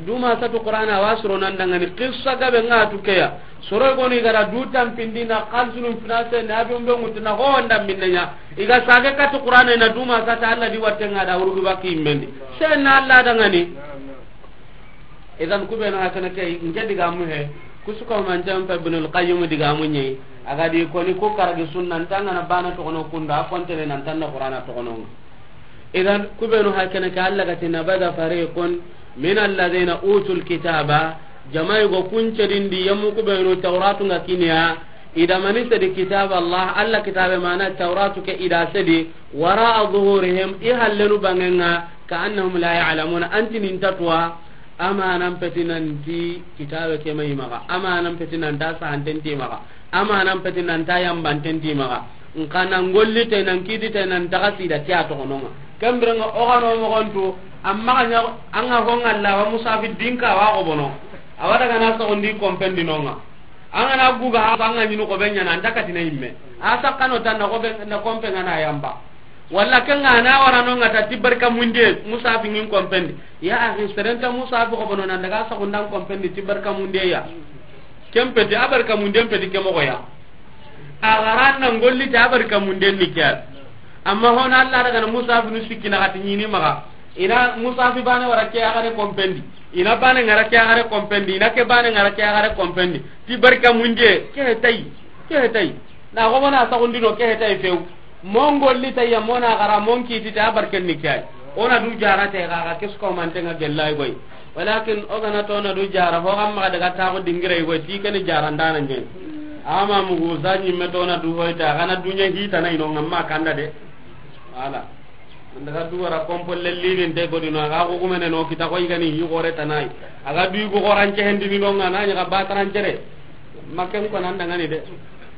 Duma satu Qur'ana wa suro nan dangani. Qissa gabe nga tukeya. Soro goni gara du tampindi na xalsunun finase na bi umbe ngutu na ho wanda minne ɲa. Iga sage katu Qur'ana na duma sata Allah di watte nga da urugu baki immendi. Senna Allah dangani. Idan kubenu hakana ke, nke digamu he. Kusuka man jam pa Ibnul Qayyim digamu ɲi. A ga di koni ko karagi sunna ntanga na bana to kono kunda, a kontene nan tanna Qur'ana to kono. Idan kubenu hakene ke Allah ga ti nabada fariqun min alladhina utul kitaba, jamai go kunce dindi yamu kubenu Tauratu nga kiniya, ida mani sedi kitab Allah, Allah kitabe mana Tauratu ke ida sedi, wara'a zuhurihim, i hallenu bangenga, ka annahum la ya'lamuna, anti nin tatwa, amanan peti nanti kitabe ke mai maga, amanan peti nanta sahantenti maga. Amanan peti nan ta yambanten ti maxa. Nka nan golli te nan kiti te nan taga sida ke a toxononga. Kembirenga ogano moxontu. Amma ga ɲa anga honga la wa musafi dinka wa gobono. Awa daga na soxondi kompendi nonga. Anga na guga ha anga ɲinu ko benya nan takati na imme. A sakkano tan na ko be na kompe ngana yamba. Walla kenga na wara nonga ta tibarka munde musafi ngin kompendi. Ya akhi, serenta musafi gobono nan daga soxondan kompendi tibarka munde ya. Ken peti a barka munden peti ke moxo ya. A garan nan golli ta a barka munden ni ke. Amma hona Allah daga na Musa bin sikki na gati ɲini maxa. Ina Musa fi bane wara ke a gare kompendi. Ina bane ngara ke a gare kompendi. Ina ke bane ngara ke a gare kompendi. Ti barka munde ke tay. Ke tay. Na go bona sa gundino ke tay few. Mongolli tayya mona gara monkiti ta barken ni kay. Ona du jara te ga ga kisko mantenga gellay goy. Walakin o gana to na du jara ho gamma daga ta ko dingire goy ti ken jara ndana nyen. Ama mugu zanyi me to na du hoy ta gana dunya hita na ino ngamma kanda de. Wala. Daga du wara kompo lelli bin te godino ga ko gumene no kita koy gani hi gore tanai. Aga du go goran ce hendini no ngana nya ga bataran cere. Maken ko nan dangani de.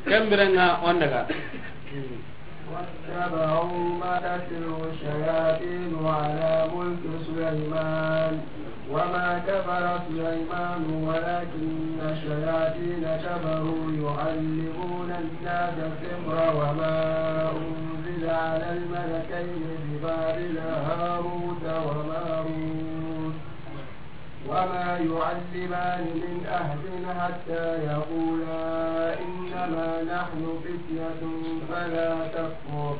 Kembirenga on daga. واتبعوا ما تتلو الشياطين على ملك سليمان وما كفر سليمان ولكن الشياطين كفروا يعلمون الناس السحر وما أنزل على الملكين ببابل هاروت وماروت وما يعلمان من أحد حتى يقولا إنما نحن فتية فلا تكفر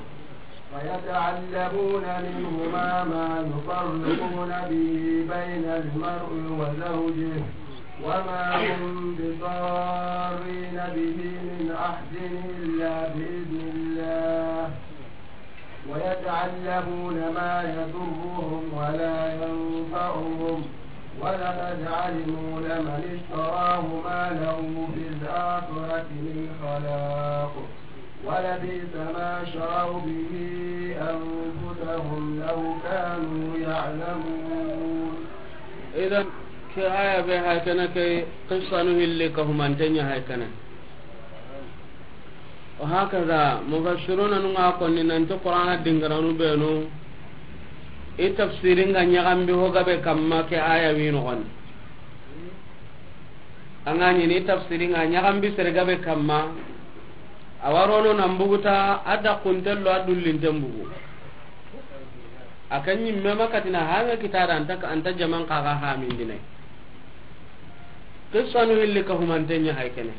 فيتعلمون منهما ما يفرقون به بين المرء وزوجه وما هم بضارين به من أحد إلا بإذن الله ويتعلمون ما يضرهم ولا ينفعهم ولقد علموا لمن اشتراه ما له في الآخرة من خلاق ولبئس ما شروا به أنفسهم لو كانوا يعلمون. Idan Ke aya be hay kene ke qissanu hilli ka humante ɲa hay kene. Wa hakaza mufassiruna nu ŋa konni nanti Qur'ana dingaranu benu i tafsiri ŋa ɲaxambi ho gabe kamma ke aya wi noxondi. A ŋa ɲini i tafsiri ŋa ɲaxambi sere gabe kamma. A wa rono nan buguta a da kuntello a dullinten bugu. A kan ɲimme ma katina hanga kitada anta, anta jaman kaga hamindine. Qissanu hilli ka humante ɲa hay kene.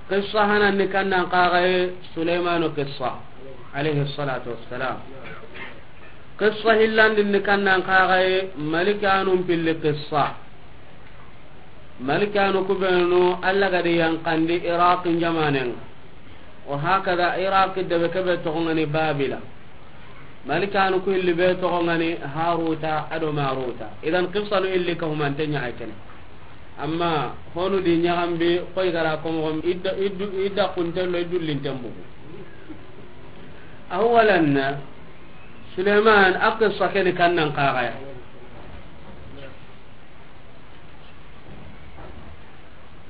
Qissa hananni kannan kaga ye Sulaymanu qissa, alayhi salatu wassalam. Qissa hillandinni kannan kaga ye malikanun pilli qissa. Malikanu kubenu Allah gadi yankandi Iraqi jamanen. Wa hakaza Iraqi debe kebe toxo ŋa ni Babila. Malikanu ku hilli be toxo ŋa ni Haruta ado Maruta. Idan qissanu hilli ka humante ɲa hay kene. Amma honu di ɲaxambi koy gara ko moxo idda, iddu, idda kuntello i dullinten bugu. Awalan Sulayman a qissa keni kannan kaga ya.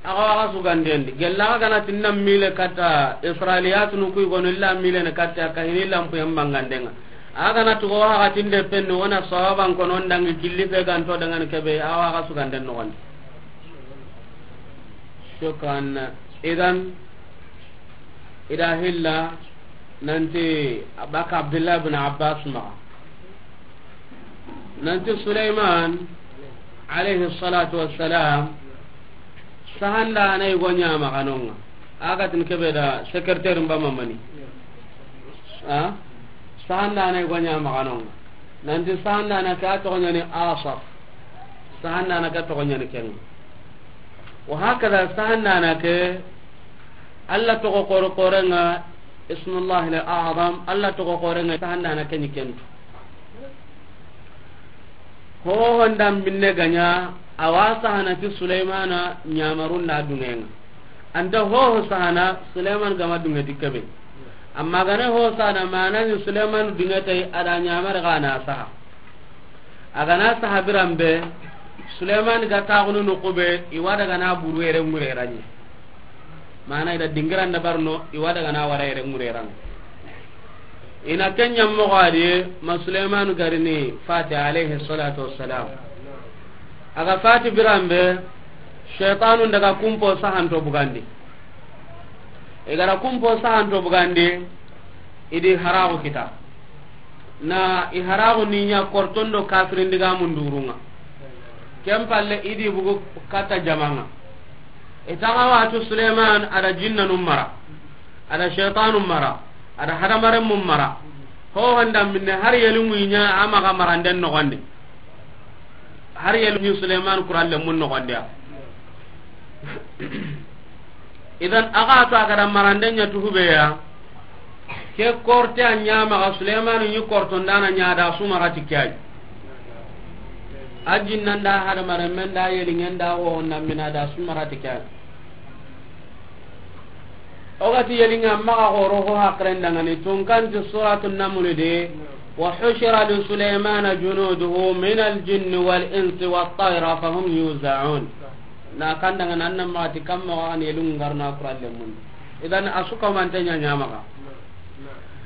Axa waxa sugandendi gella axa gana tinna mile katta Israiliyatunu kuy gono illa mile ne katta ka hini lampu yam bangandenga. Axa gana tugo waxa tinde penno wona sawaban kono ndangi killi fe ganto dangan kebe axa waxa suganden no wandi. Shukran. Idan ida hilla nanti abaka Abdullah bin Abbas ma nanti Sulaiman alayhi salatu wassalam sahanda anay gonya maganonga. Agatin kebe da secrétaire mbama mani. A sahanda anay gonya maganonga. Nanti sahanda na ka to nyani Asaf. Sahanda na ka to nyani ken. Wa hakada sahanda na ke Allah toxo xore xore ŋa, ismullahi al-a'zam, Allah toxo xore ŋa, sahanda na ke ni kentu. Hoho nda binne ga ɲa, a wa sahana ti Sulaymana ɲamarun da duŋe ŋa. Anta hoho sahana Sulayman ga ma duŋe ti kebe. Amma gane hoho sahana mana ni Sulayman duŋe tay a da ɲamare ga na saha. A ga na saha biran be, Suleymani ga taxunu noxu be, i wa daga na buru yere ŋure ra ɲi. Mana i da dingiran da barno, i wa daga na wara yere ŋure ra ŋa. I na ken ɲa moxo a di, ma Suleymani garini fati alayhi salatu wassalam. A ga fati biran be, shaytanu daga kumpo sahanto bugandi. I gara kumpo sahanto bugandi, i di haraxu kita. Na i haraxu ni ɲa korton do kafirin diga mundurunga. Ken palle i di bugu kata jamanga. I taga watu Suleiman a da jinnanu mara, a da shaytanu mara, a da hadamaren mun mara. Ho honda minne har yeli ŋuiɲa a maxa maranden noxondi. Har yeli ŋui Suleiman kuralle mun noxondiya. Idan a ga to a ga da marande ɲa tuhubeya. Ke korte a ɲa maxa Suleymanu ɲi kortondana ɲa da sumarati ke ay. A jinnanda hadamaren men da yelingen da wo na mina da sumarati ke ay. O ga ti yelinga maxa xoro ho hakren dangani tunkanti suratu namuli de. Wa hushira li Suleymana junuduhu min al jinni wal insi wat tayra fahum yuzaun. Na kandanga nan nan ma ti kam mo an yelun ngarna Qur'an le mun. Idan asuka man tanya nyama ka.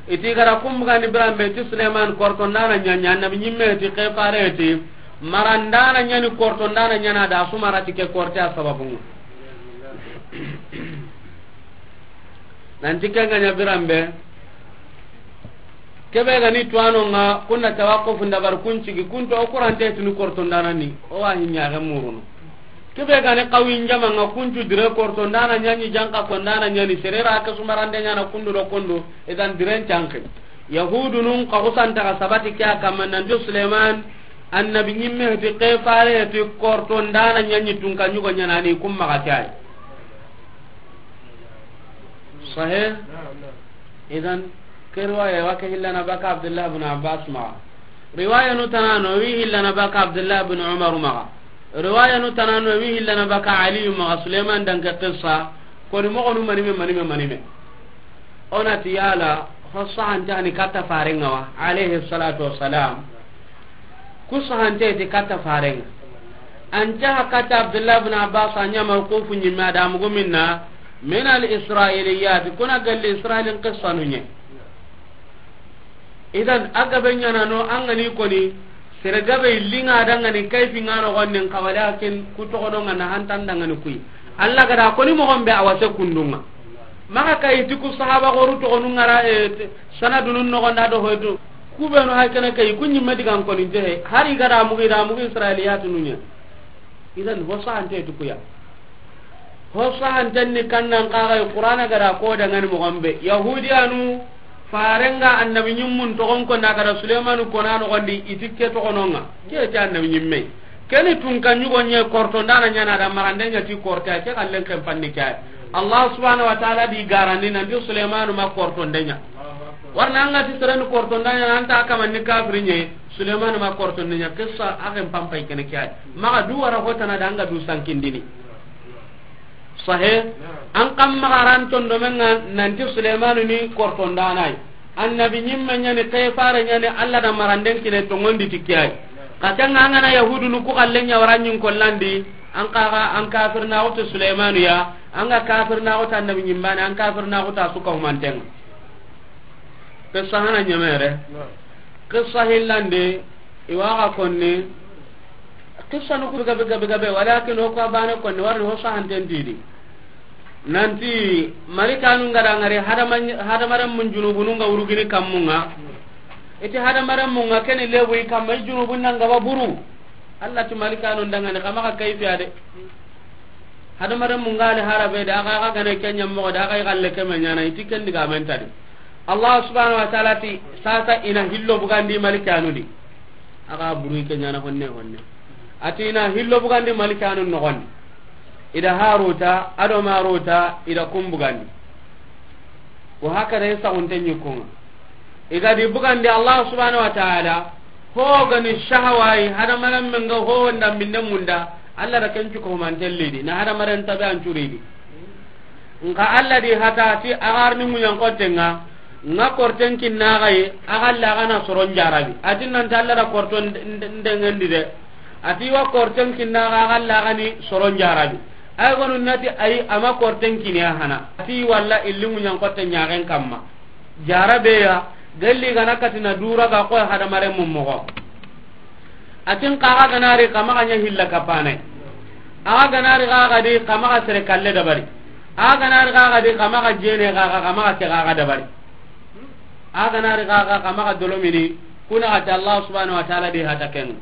Iti gara kum gani biran be ti Suleiman korto ndana nyanya nabi nyimme ti kefare ti marandana nyani korto ndana nyana da sumara ti ke korte a sababun. Nan ti ke ganya biran be. Kebe gani tuwano nga kunna tawaqquf ndabar kuncigi kunto o kurante tunu korto ndana ni o wa hinya ga muruno. Kebe gani qawi njama nga kuncu dire korto ndana nyanyi janka ko ndana nyani serera ka sumarande nyana kundu do kundu idan diren canke. Yahudunun ka kusanta ka sabati kya kamma nan do Suleiman annabi nyimme ti kefare ti korto ndana nyanyi tunka nyugo nyana ni kumma ka tay. Sahih. Idan ke riwaya wa ke hillana baka Abdullah ibn Abbas ma. Riwaya nu tanano wi hillana baka Abdullah ibn Umar ma. Riwaya nu tanano wi hillana baka Ali ma Suleiman dan ke qissa. Ko ni mo ko nu manime manime manime. Ona ti yala ho sahante ani katta farenga wa alayhi salatu wassalam. Ku sahante ti katta farenga. An ca hakata Abdullah ibn Abbas, a ɲa mawqufu ɲimme, a da mugu minna, min al-Israiliyat, kuna galli Israilin qissanu ɲa. Idan, a gabe ɲaana no, an ga ni koni, sere gabe illinga dangani kayfi ŋa no gondi, nka walakin ku toxono ŋa na hantan dangani kuyi. Allah ga da koni moxon be a wase kundunga. Maxa kayi ti ku sahaba xoru toxonu ŋa ra, e, te, sanadunun noxon da do hoytu. Ku benu hay kene kayi, ku ɲimme digan koni te he. Hari ga da mugi, da mugi Israiliyatu nu ɲa. Idan, ho sahante tu kuya. Ho sahanten ni kannan kaga Qur'ana ga da ko dangani moxon be. Yahudiyanu, farenga annabi ɲimmun toxon ko na ga da Sulaymanu kona noxondi, i ti ke toxononga. Ke ti annabi ɲimme. Keni tunka ɲugo ɲe korto ndana ɲana da marande ɲa ti korte, ke kallen ken panni ke. Allah subhanahu wa ta'ala di garandi nanti Sulaymanu ma korto nde ɲa. Warna anga ti sereni korto nda ɲa, anta kamanni kafiri ɲe, Sulaymanu ma korto nde ɲa. Qissa a ken pampay kene ke ay. Maxa du wara hotana da anga du sankindini. Sahe, an kam maxa ran tondomenga nanti Sulaymanu ni kortondanay. Annabi ɲimme ɲani, kefare ɲani, Allah da maranden kine tongondi ti ke ay. Xa kenga angana Yahudunu ku xallen ɲa wara ɲin kollandi, an kaga, an kafirnaxu ti Sulaymanu ya, anga kafirnaxu ti annabi ɲimbane, an kafirnaxu ta suka humantenga. Qissa hana ɲemere. Qissa hillande, i waxa konni. Qissa nu ku gabe, gabe, gabe, walakin o ko bane konni, warni ho sahanten tidi. Nanti, malikanu nga da ngari hadama, hadamaren mun junubunu nga wurugini kammunga. Iti hadamaren mun nga keni lebu i kamma, i junubun nan gaba buru. Allah ti malikanu ndangani, kama ka kayfiya de. Hadamaren mun nga ali harabe da, aga, aga gane kenya moxo da, aga i galle keme ɲana, iti ken digamen tadi. Allah subhanahu wa ta'ala ti, sasa ina hillo bugandi malikanu di. Aga buru i ke ɲana honne, honne. Ati ina hillo bugandi malikanu noxondi. Ida Haruta, ado Maruta, ida kun bugandi. Wa hakada i saxunte ɲikkunga. I ga di bugandi Allah subhanahu wa ta'ala, ho gani shahawayi, hadamaren men ga ho wanda minne munda, Allah da ken cuko manten lidi, na hadamaren tabe an curidi. Nka Allah di hata ti agarni munyan kotenga, nga korten kinna gaye, agalla gana soron jarabi. Atin nan ta Allah da korton nde-, nde-, ndengendi de. Ati wa korten kinna ga, agalla gani soron jarabi. Ay gonu nati ay ama korten kiniya hana. Ati walla illi munyan koten ɲagen kamma. Jarabeya, galli gana katina dura ga koy hadamaren mun moxo. Atin kaga ganari kama ga ɲa hilla kapane. Aga ganari kaga di kama ga sere kalle dabari. Aga ganari kaga di kama ga jene kaga kama ga ke kaga dabari. Aga ganari kaga kama ga dolomini, kuna ati Allah subhanahu wa ta'ala di hata ken.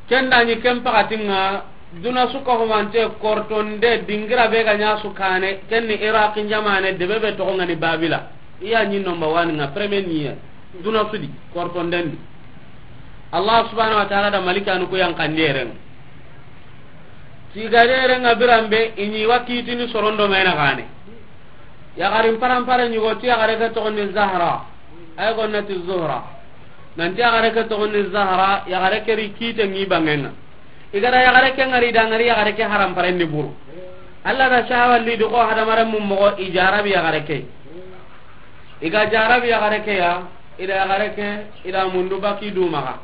Ken da ɲi ken pakatinga, duna suka humante kortonde dingira be ga ɲa su kane, ken ni Iraq jamane debe be toxo ngani Babila. Iya ɲi nomba wani nga premier niye. Duna sudi, kortonden di. Allah subhanahu wa ta'ala da malikanu ku yan kanderen. Tigaderen nga birambe, i ɲi wa kitini sorondo mena kane. Yaxarin parampara ɲugo ti yaxare ke toxondi Zahra. Ay gonnati Zuhra. Nanti yaxare ke toxondi Zahra, yaxare ke ri kite ŋi bangenga. I ga da yaxare ke ngari da ngari yaxare ke haramparen di buru. Allah da shahawa li di ko hadamaren mun moxo i jarabi yaxare ke. I ga jarabi yaxare ke ya, i da yaxare ke, i da mundu baki du maxa.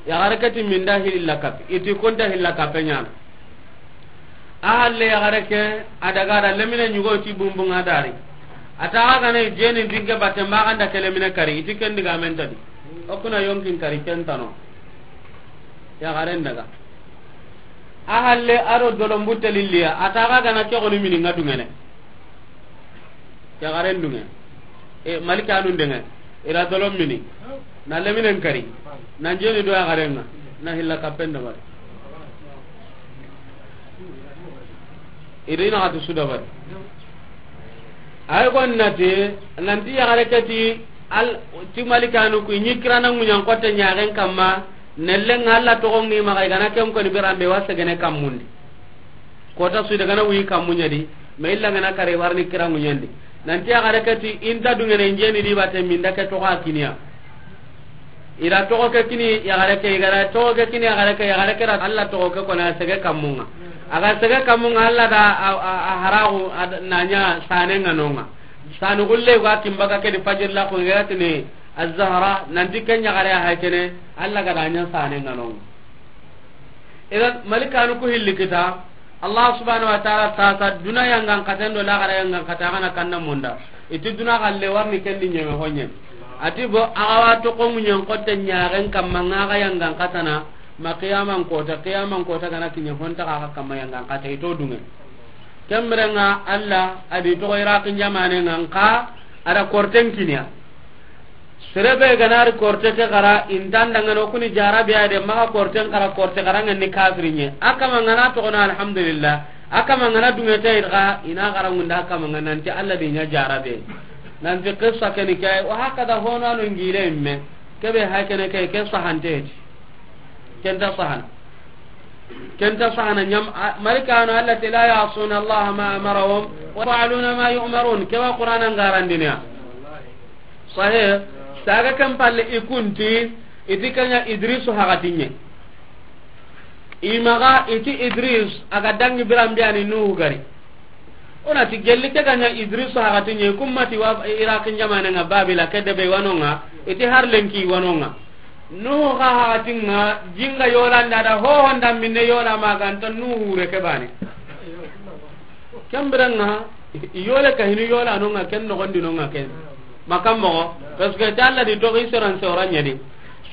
Yaxare ke ti minda hilla kapi, i ti kunta hilla kape ɲana. A halle yaxare ke, a daga da lemine ɲugo ti bumbunga dari. A ta ga gana jeni dinge batte maxa nda ke lemine kari, i ti ken digamen tadi. O kuna yonkin kari ken tano. Yaxaren daga. A halle a do dolombu telilliya, a ta ga gana ke goni mini nga dungene. Yaxaren dunge. E, malikanun denge. I ra dolon mini. Na leminen kari. Na jeni do yaxaren nga. Na hilla kapen dabari. I ri na hatu su dabari. Ay gonnati, nanti yaxare ke ti, al, ti malikanu ku, i ɲi kirana ŋuɲan kotte ɲaxen kamma, nellen nga Allah toxo ŋi maxa, i gana ken koni birambe wa segene kammundi. Kota su i da gana wuyi kammu ɲa di, ma illa ngana kare warni kira ŋuɲandi. Nanti yaxare ke ti, inta dungene njeni di bate minda ke toxo a kiniya. I da toxo ke kini yaxare ke, i ga da toxo ke kini yaxare ke, yaxare ke da Allah toxo ke kona sege kammunga. A ga sege kammunga Allah da a, a, a haraxu, a da, na ɲa sane nga nonga. Sanu gulle ga kimbaga ke di fajir la ko ngeratini Az-Zahra, nanti ken yaxare a hay kene, Allah ga da ɲa sane nga nonga. Idan malikanu ku hilli kita, Allah subhanahu wa ta'ala ta ta duna yangan katen do laxara yangan kata, a ga na kanna munda. I ti duna xalle warni ken di ɲeme honye. A ti bo a ga wa toxo ŋuɲen xotte ɲaxen kamma ŋa ga yangan katana, ma qiyaman kota, qiyaman kota ga na kiɲe honta ga kamma yangan kata i to dunge. Ken bire ŋa Allah a di toxo Iraqin jamaane ŋa nka a da korten kiniya. Sere be ga na ri korte ke xara, i nta ndangana o kuni jarabi ya de, maxa korten xara, korte xara ŋa ni kafiri ɲe. A kama ŋa na toxo na alhamdulillah. A kama ŋa na dunge ta i xa, i na xara ŋunda a kama ŋa nanti Allah di ɲa jarabe. Nanti qissa ke ni ke, wa hakada hono ano ngile imme. Ke be ha ke ne ke, ke sahante ti. Ken ta sahana. Ken ta sahana ɲam, a, malikanu Allah ti la ya'suna Allah ma amarahum wa yaf'aluna ma yu'marun. Ke wa Qur'ana ŋa garandiniya. Sahe, saga ken palle i kunti, i ti ken ɲa Idrisu haxatin ɲe. I maxa i ti Idris a ga dangi biran be ya ni Nuhu gari. O na ti gelli ke ga ɲa Idrisu haxatin ɲe, kummati wa Iraqin jamaane ŋa Babila ke debe wa no ŋa, i ti har lenki wa no ŋa. Nuhu xa haxatin ŋa, jinga yola nda da hoho nda minne yola ma ga nta Nuhu re ke bane. Ken bire ŋa, i yole ka hinu yola no ŋa ken, noxondi no ŋa ken. Makam moxo, parce que ta Allah di toxi soran soran ɲa di.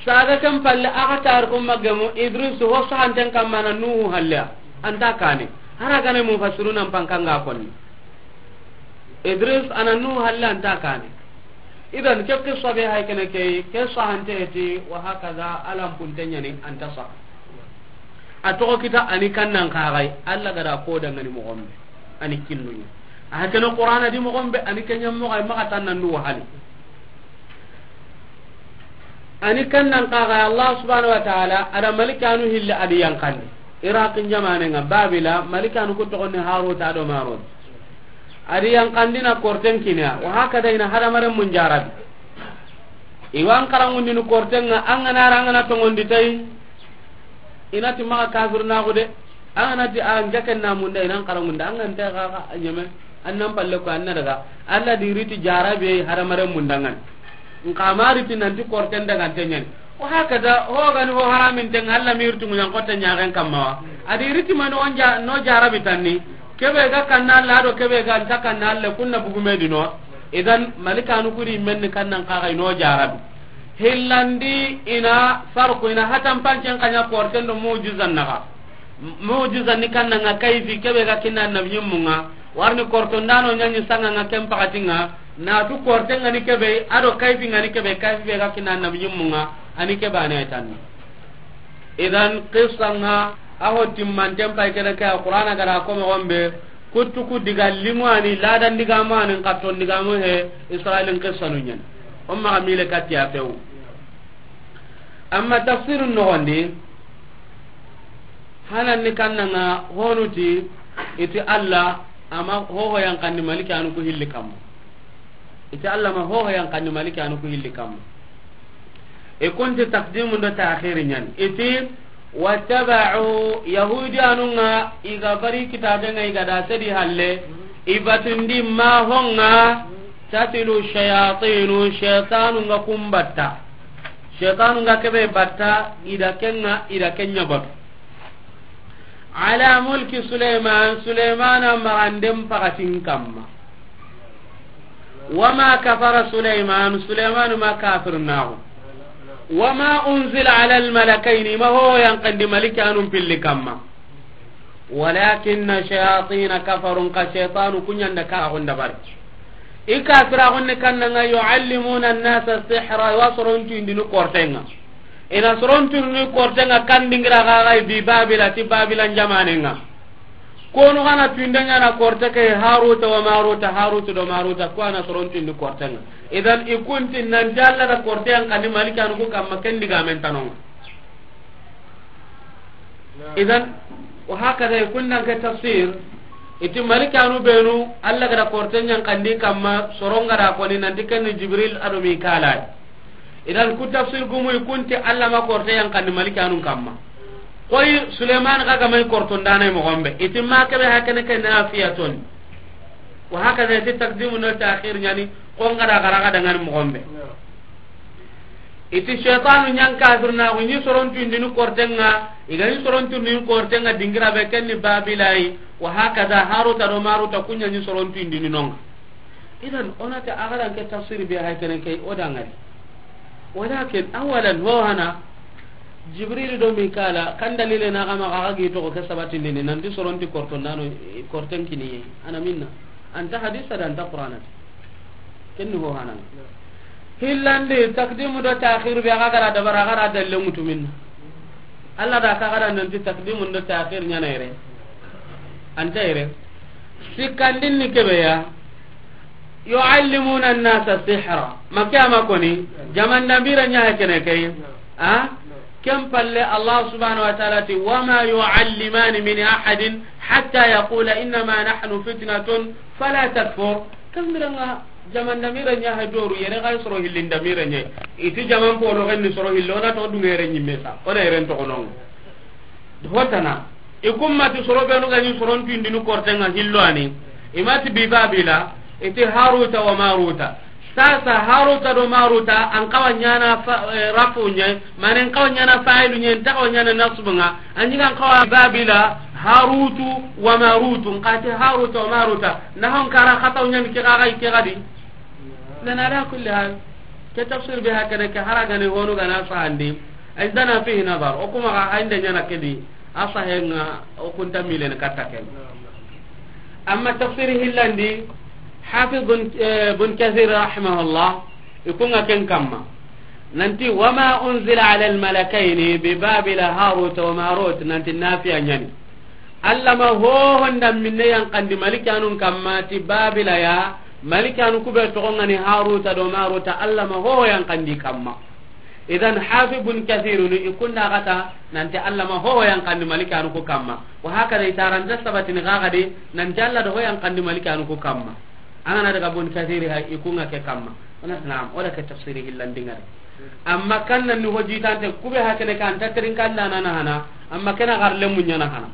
Saga ken palle a ga tar ko magemu Idris ho sahanten kamma na Nuhu halle a nta kane. Hara gane mufassiruna n pankanga konni. Idris a na Nuhu halle a nta kane. Idan ke qissa be hay kene ke, ke sahante ti wa hakaza alam punte ɲa ni a nta saha. A toxo kita a ni kannan kaxay, Allah ga da ko dangani moxo be. A ni kinnuɲa. A kene Qur'ana di moxo be, a ni kenya moxo ay maxa tan nan du wahali. A ni kannan kaxay, Allah subhanahu wa ta'ala, a da malikanu hilli a di yanqandi. Iraqin jamaane ŋa, Babila, malikanu ku toxo ni Haruta do Marut. A di yanqandi na korten kiniya, wa hakada i na hadamaren mun jarabi. I wa an xaranŋundini korten ŋa, an ga na ra an ga na tonŋondi tay, i na ti maxa kafir na xude, an ga na ti a n jaken na munda, i na an xaranŋunda, an ga nta xa xa a ɲeme, an nan palle ko an na daga, Allah di riti jarabe hadamaren munda ŋa ni. Nka ma riti nanti korten daga nte ɲa ni. Wa hakada, ho ga ni ho haramin ten, Allah mi riti ŋuɲan xotte ɲaxen kamma wa. A di riti ma no ja-, no jarabi tanni. Kebe ga kanna Allah do kebe ga nta kanna Allah, kunna bugume di no. Idan malikanu kuri menni kannan kaxay no jarabi. Hillandi i na farqu, i na hatan pancen xa ɲa korten do mujizan naxa. Mujizan ni kannan ŋa kayfi kebe ga kinna annabi ɲimmu ŋa. Warni korto ndano ɲaɲi sanga ŋa ken pakati ŋa. Na tu korten ŋa ni kebe, a do kayfi ŋa ni kebe, kayfi be ga kinna annabi ɲimmu ŋa. A ni kebe a ne tanni. Idan qissa ŋa, a ho timmanten pay kene ke, a Qur'ana ga da ko moxo be, kuttu ku diga limu a ni, ladan digamu a ni, n katton digamu he, Israilin qissanu ɲa ni. O maxa mile katti a fewu. Amma tafsirun noxondi, hanan ni kannan ŋa honu ti, i ti Allah, a ma hoho yanqandi malikanu ku hilli kamma. I ti Allah ma hoho yanqandi malikanu ku hilli kamma. I kunti taqdimun do ta'khiri ɲa ni. I ti, wattaba'u, Yahudiyanu ŋa, i ga bari kitabe ŋa, i ga da sedi halle, i batundi ma ho ŋa, tatilu shayatinu, shaytanu ŋa kun batta. Shaytanu ŋa kebe batta, i da ken ŋa, i da ken ɲa batu. Ala mulki Sulaiman, Sulaimana maranden pakatin kamma. Wama kafara Sulaiman, Sulaiman ma kafir naxu. Wama unzila ala almalakaini, ma ho yanqandi malikanun pilli kamma. Walakinna shayatina kafaru, ka shaytanu ku ɲa nda karaxun dabari. I kafiraxun ni kannan ŋa, yuallimuna annasa sihra, i wa soron tuyindini korten ŋa. I na soron tuyindini korten ŋa, kan dingira xaxay bi Babila, ti Babila jamanen ŋa. Konu xa na tuyinde ɲa na korte ke, Haruta wa Maruta, Haruta do Maruta, ku a na soron tuyindi korten ŋa. Idan i kunti nanti Allah da korte yanqandi malikanu ku kamma, ken digamen tanonga. Idan, wa hakada, i kundan ke tafsir, i ti malikanu benu, Allah ga da korte yanqandi kamma, soron ga da koni nanti ken ni Jibril a do Mikala. Idan ku tafsir gumu i kunti Allah ma korte yanqandi malikanun kamma. Koy Suleiman xa ga may korto ndana moxo be. I ti ma kebe hakene ke nafiyatun. Wa hakada i ti taqdimu no ta'khir ɲa ni, ko n ga da xara ga da ŋa ni moxo be. I ti shaytanu ɲa n kafirnaaxu ɲi soron tuyindini korten ŋa, i ga ɲi soron tuyindini korten ŋa dingira be ken ni Babila yi, wa hakaza Haruta do Maruta ku ɲa ɲi soron tuyindini no ŋa. Idan, o na ti a ga ra n ke tafsiri be hay kene ke, o da ŋari. Walakin, awalan, ho hana, Jibril do Mikala, kan dalile na xa maxa, xa ga gi toxo ke sabatindini, nanti soron ti korton da no, korten kini yi. Ana minna. A nta hadisa da, a nta Qur'ana da. Ken ni ho hana. Hillandi, takdimu do takhir be, a ga ra dabara, a ga ra dalle mutu minna. Allah da xa ga ra nanti takdimu do takhir ɲa na yere. A nta yere. Sikkandin ni kebe ya. Yu'allimuna an-nasa sihra. Ma ke a ma koni, jaman danbire ɲa he kene ke yi. A? Ken palle Allah subhanahu wa ta'ala ti, "Wa ma yu'allimani min ahadin hatta yaqula innama nahnu fitnatun fala takfur." Ken biren ŋa jaman danbire ɲa he doru yere ga soro hillin danbire ɲa. I ti jaman polo ken ni soro hillo na to dungere ɲimme sa. O na yere n toxo no ŋa. Hotana, i kummati soro benu ga ɲi soron tuyindini korten ŋa hillo ani. I ma ti bi Babila, i ti Haruta wa Maruta. Sasa Haruta do Maruta, an xawa ɲaana fa-, eh, rafu ɲa, mane an xawa ɲaana fa'ilu ɲa, an ta xawa ɲaana nasbu ŋa. An ɲi ga an xawa Babila, Harutu wa Marutu, n xa ti Haruta wa Maruta. Na hon kara xataw ɲa ni ke ga ga i ke ga di. Nan ala kulli hal. Ke tafsir be hakana ke hara gane honu gana sahandi. Indana fihi nazar. O kuma ga inde ɲa na ke di. A sahe ŋa o kunta milen katta ken. Amma tafsiri hillandi, Hafiz bun, eh, bun Kathir rahimahullah, i ku ŋa ken kamma. Nanti, "Wa ma unzila ala al-malakayni bi Babila Harut wa Marut," nanti nafiya ɲa ni. Allah ma hoho nda minne yanqandi malikanun kamma ti Babila ya, malikanu ku be toxo ŋa ni Haruta do Maruta, Allah ma hoho yanqandi kamma. Idan, Hafiz bun Kathirun i ku nda xata nanti Allah ma hoho yanqandi malikanu ku kamma. Wa hakada i taranta sabatini xa ga di nanti Allah da ho yanqandi malikanu ku kamma. An ga na daga bun Kathiri hay i ku ŋa ke kamma. O na ti naam, o da ke tafsiri hillandi ŋa de. Amma kan nan ni ho jitante ku be hakene kan ta terin kan na na hana. Amma ke na xarle mu ɲa na hana.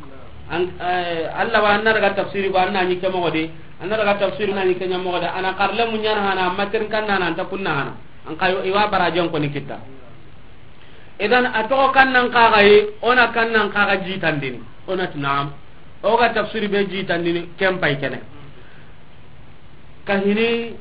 An, eh, Allah wa an na daga tafsiri ko an na ɲi ke moxo di. An na daga tafsiri na ɲi ke ɲa moxo di. A na xarle mu ɲa na hana, amma terin kan na na an ta kun na hana. An xa yo, i wa barajen ko ni kita. Idan, a toxo kan nan xa ga yi, o na kan nan xa ga jitandini. O na ti naam. O ga tafsiri be jitandini, ken pay kene. Ka hini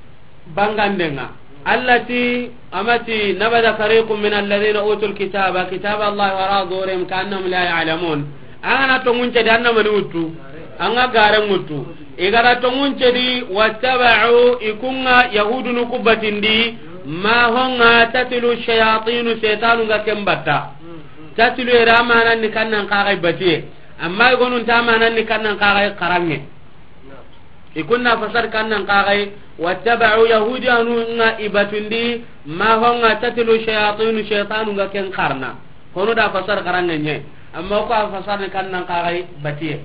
bangande ŋa. Allah ti, a ma ti, "Nabada fariqun min alladhina utul kitaba, kitaba Allah wara zuhurihim ka'annahum la ya'lamun." An ga na tonŋun cedi, an na mani wuttu. An ga garen wuttu. I ga ra tonŋun cedi, wattaba'u, i ku ŋa Yahudunu ku batindi, ma ho ŋa tatlu shayatinu, shaytanu ga ken batta. Tatlu yere a manan ni kan nan xa ga batiye. Amma i gonun ta manan ni kan nan xa ga xaranŋe. I ku nda fasar kan nan xa ga, wattaba'u, Yahudiyanu ŋa i batundi, ma ho ŋa tatlu shayatinu, shaytanu ga ken xarana. Hono da fasar xaranŋe ɲa. Amma ko a fasar ni kan nan xa ga batiye.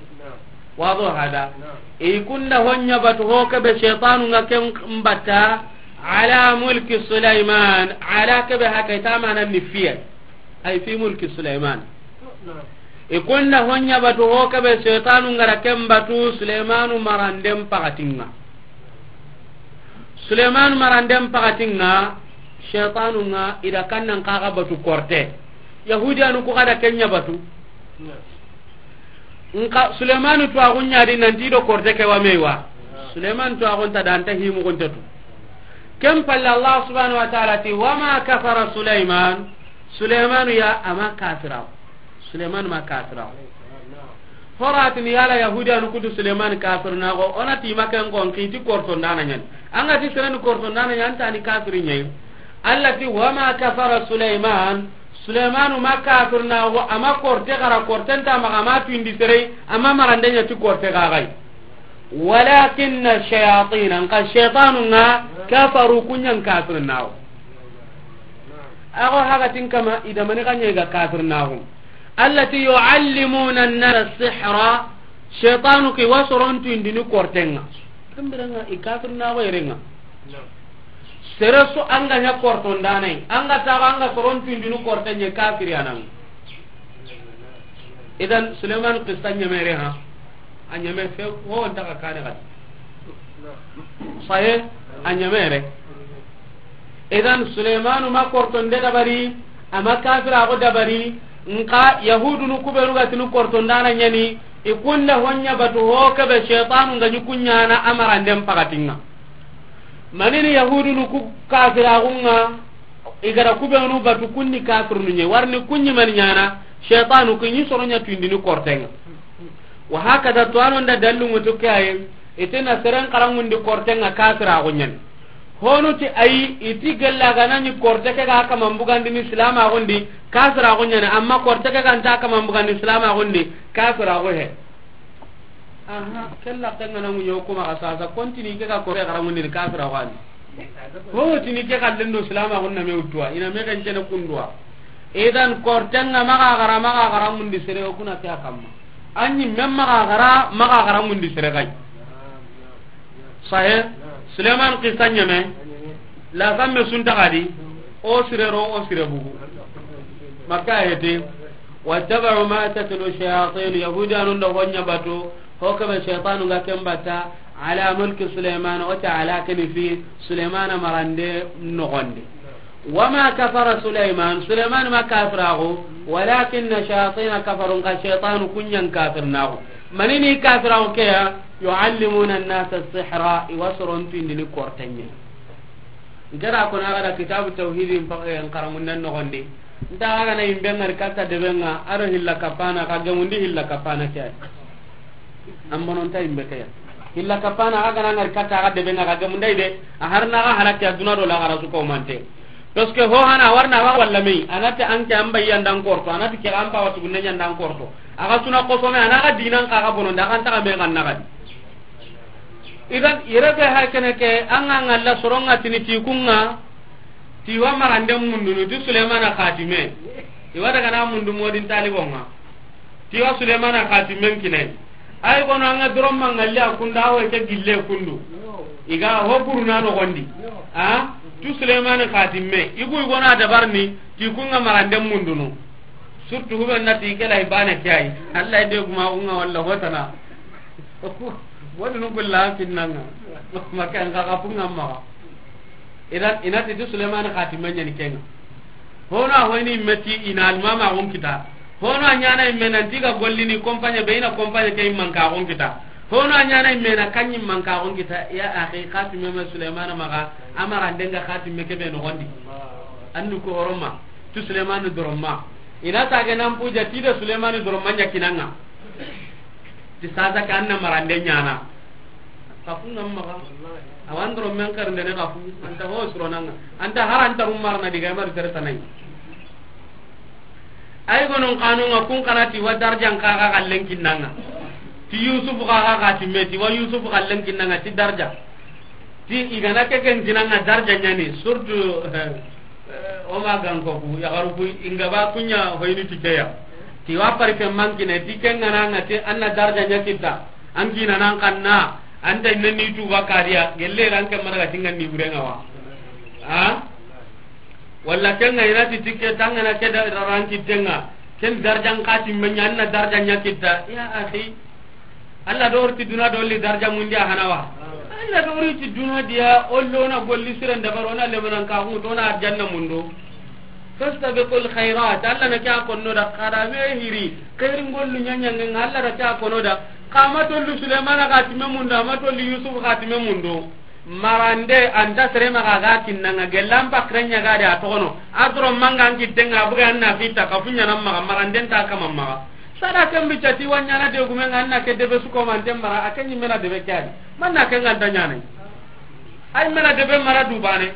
Wado hada. I ku nda ho ɲa batu ho ke be shaytanu ga ken batta, ala mulki Sulaiman, ala ke be haka i ta manan ni fiye. Ay fi mulki Sulaiman. I ku nda ho ɲa batu ho ke be shaytanu ga ra ken batu Sulaimanu maranden pakatin ŋa. Sulaimanu maranden pakatin ŋa, shaytanu ŋa i da kan nan xa ga batu korte. Yahudiyanu ku xa da ken ɲa batu. Nka Sulaimanu tuwaxu ɲa di nanti do korte ke wa me wa. Sulaimanu tuwaxu nta da, a nta himu gunte tu. Ken palle Allah subhanahu wa ta'ala ti, "Wa ma kafara Sulaiman." Sulaimanu ya a ma kafira. Sulaimanu ma kafira. Horatini yala Yahudiyanu ku ti Sulaimanu kafirnaxo, o na ti ma ken ko n xiti kortondana ɲa ni. An ga ti sere ni kortondana ɲa ni, a nta ni kafiri ɲa yi. Allah ti, "Wa ma kafara Sulaiman." Sulaimanu ma kafirnaxo, a ma korte xara, korte nta maxa, a ma tuyindi sere, a ma marande ɲa ti korte xa ga yi. Walakinna shayatina, nka shaytanu ŋa, kafaru, ku ɲa n kafirnaxo. Ago hakatin kama i da mani xa ɲa i ga kafirnaxu. Allati yu'allimuna an-nasa sihra, shaytanu ke wa soron tuyindini korten ŋa. Ken biren ŋa i kafirnaxo yere ŋa. Sere su an ga ɲa kortondana yi, an ga taxo an ga soron tuyindini korten ɲa, kafiri ya ni an ŋa. Idan Suleiman qissa ɲamere ha. A ɲame fe, wo nta ka kane gadi. Sahe, a ɲamere. Idan Suleymanu ma kortonde dabari, ama kafiraxu dabari. Nxa Yahudunu kubenu ga tini kortondana ɲani, i kunda hoɲa batu ho kebe shaytanu ga ɲi kuɲana amaranden pakatinga. Manini Yahudunu ku kafiraxunga, i gara kubenu batu kunni kafirunu ɲe, warni kuɲi mani ɲana, shaytanu ku ɲi soroɲa tuindini kortenga. Wa hakada, to anonda dallu ŋutu kaye, itena seren karangundi kortenga kafiraxu ɲani. Honu ti ayi, iti gella ganani korte ke ga kaman bugandini silamaxundi, kafiraxu ɲani, amma korte ke ganta kaman bugandi silamaxundi, kafiraxu he. Aha, kella kenga na ŋuɲo kuma xa sasa, kontini ke ga korte xarangundini kafiraxu ani. Ho tini ke xallendo silamaxun na me wuttuwa, ina me xencene kunduwa. Idan kortenga maxa xara, maxa xara mundi sere, o kuna ke a kamma. Anyi mem maxa xara, maxa xara mundi sere kay. Sahe, Suleiman qissa ɲeme, la samme sunta xadi, o sire ro, o sire bugu. Makka ayete, wattaba'u ma tatlu shayatin, Yahudiyanun da hoɲa batu, ho kebe shaytanu ga ken bata, ala mulki Suleiman, o ta ala keni fi Suleiman marande noxondi. Wama kafara Suleiman, Suleiman ma kafiraxu, walakinna shayatina kafaru, nka shaytanu kuɲan kafirnaxu. Manini kafiraxu ke ya, yuallimuna annasa sihra, i wa soron tuindini kortenye. Nkera kono a ga da kitabu tawhidi npa-, eh, nkarangunden noxondi. Nta a ga na yimbe ngari katta debenga, aro hilla kapana, ka gemundi hilla kapana ke. An bononta yimbe ke ya. Hilla kapana, a ga na ngari katta, a ga debenga, ka gemundai de, a harna ga halaki a duna do la gara su ko mante. Parce que ho hana warna wa walla mei, anati anke an bayya ndan korto, anati ke an pawa tugunne ɲa ndan korto. A ga suna kosome, ana ga dinan ka ga bononda, a ga nta ga me ga na ga di. Idan, yere be ha kene ke, an ga ngalla soronga tini ti kunga, ti wa marande mundunu, ti Suleymana xatime. I wa daga na mundu modin talibonga. Ti wa Suleymana xatimen kinai. Ay gono an ga doron mangalli a kunda, a wo ke gille kundu. I ga ho buruna noxondi. A, tu Suleymana xatime. I gu i gona dabarni, ti kunga marande mundunu. Surtout hube nati ke lay bane ke ay. Allah de guma kunga walla hotana. Wani nu gulla kinnanga. Maka nga ga kunga maxa. Idan, inati ti Suleymana xatime ɲani kenga. Hono a hoyni meti ina almamaxun kita. Hono a ɲana imme nanti ga gollini compagnie be, ina compagnie ke immankaxun kita. Hono a ɲana imme na kaɲi mankaxun kita. Ya axi, xatime me Suleymana maxa, a maxa ndenga xatime kebe noxondi. Andu ko horoma, tu Suleymana doroma. Ina tage nan puja ti da Suleymana doroma ɲa kinanga. Ti sasa ke an na marande ɲana. Kafu ngam maxa. Awan doro men kar ndene kafu. Anta ho suronanga. Anta har anta rumar na diga mar tere tanai. Ay gonon kanunga kun kana ti wa darjan ka ga kallen kinnanga. Ti Yusuf ka ga xatime, ti wa Yusuf kallen kinnanga ti darja. Ti i gana ke ken kinanga darja ɲani, surtout, eh, o ma ganko ku, yaxaru ku, inga ba kunya hoyni ti ke ya. Ti wa pari ke mankine, ti ke ngana nga ti an na darja ɲa kita. An kina nan kanna, an ta inne ni tuba kariya, gelle ran ke mara ga tinga ni burenga wa. Ha? Walla kenga inati ti ke tangana ke da ranki tenga. Ken darjan xatime ɲa, an na darja ɲa kita. Ya axi. Allah dori ti duna dolli darja mundi a hanawa. Allah dori ti duna diya, ollo na golli siren dabaro na lemanan ka hu to na arjanna mundo. Fastabiqul khairat. Allah na kya konno da kada me hiri. Khairin gollu ɲaɲangen Allah da kya kono da. Kama tollu Suleymana xatime mundo, ama tollu Yusuf xatime mundo. Marande anta sere maxa ga kinnanga, gellan pakren ɲa ga de a toxono. A doro manga an kittenga, a buga an na fita, kafu ɲana maxa, marande nta kama maxa. Sada ken bicca ti wa ɲana de gumenga, an na ke debe su ko manten mara, a ke ɲimmena debe ke adi. Man na ke nganta ɲana. Ay mena debe mara dubane.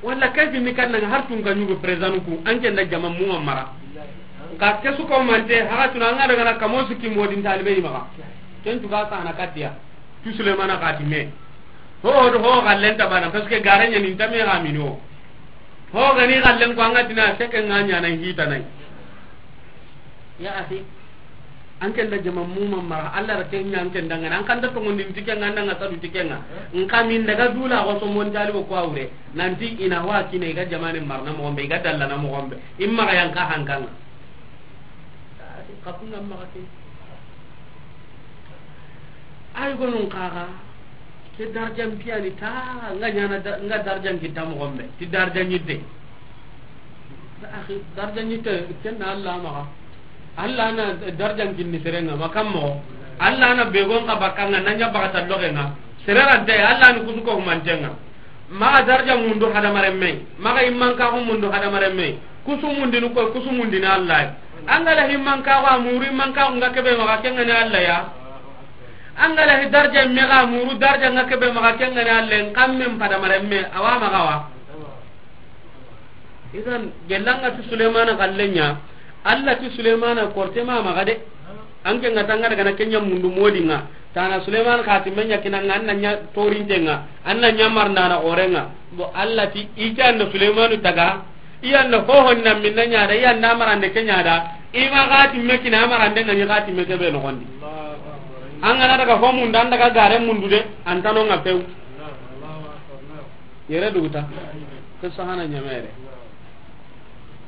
Walla ke finni kannanga har tun ka ɲugo président ku, an ke nda jama muma mara. Ka ke su ko mante, haga tuna an ga daga na kamo su ki modin talibe maxa. Ken tu ga sana katiya. Tu Suleymana xatime. Ho, ho, ho, xallen ta bana, parce que gare ɲani nta me xa mini o. Ho gani xallen ko an ga tina seke nga ɲana hita nay. Ya axi. An ken da jama muma mara, Allah ra ken ɲa an ken dangana, an kan da tongondin tikenga, an danga sadu tikenga. Nka min daga dula ko so mon talibo ko awre. Nanti ina wa kine ga jamane marna mo gombe, ga dalla na mo gombe. Imma ga yanka hankanga. Kapunga maxa ke. Ay gonun kaga. Ke darjan piyani ta, nga ɲana da-, nga darjan kita moxo be. Ti darjan yitte. Axi, darjan yitte, ken na Alla maxa. Alla na darjan kinni sere nga, ma kam moxo. Alla na begon ka bakka nga, na ɲa bakata loxe nga. Sere rante, Alla ni kusu ko humanten nga. Maxa darjan mundu hadamaren me. Maxa immankaxu mundu hadamaren me. Kusu mundini koy, kusu mundini Alla. An ga la himmankaxu a muru, immankaxu nga kebe maxa, ken nga ni Alla ya. An ga la hi darja me ga muru, darja nga kebe maxa, ken nga ni Alla, n kammen padamaren me, awa maxa wa. Idan, gellanga ti Sulemana kallen ɲa, Alla ti Sulemana korte ma maxa de. An ke nga tanga daga na ken ɲa mundu modi nga. Tana Sulemana xa ti me ɲa kina nga, an na ɲa torinte nga, an na ɲa marndana ore nga. Bo Alla ti, i ke an da Sulemanu taga, i yan da hohon na minna ɲa da, i yan da marande ke ɲa da, i ma xa ti me kina marande nga ni xa ti me kebe noxondi. An ga na daga ho mundu, an daga gare mundu de, an tano nga pew. Yere duguta. Ke sahana ɲamere.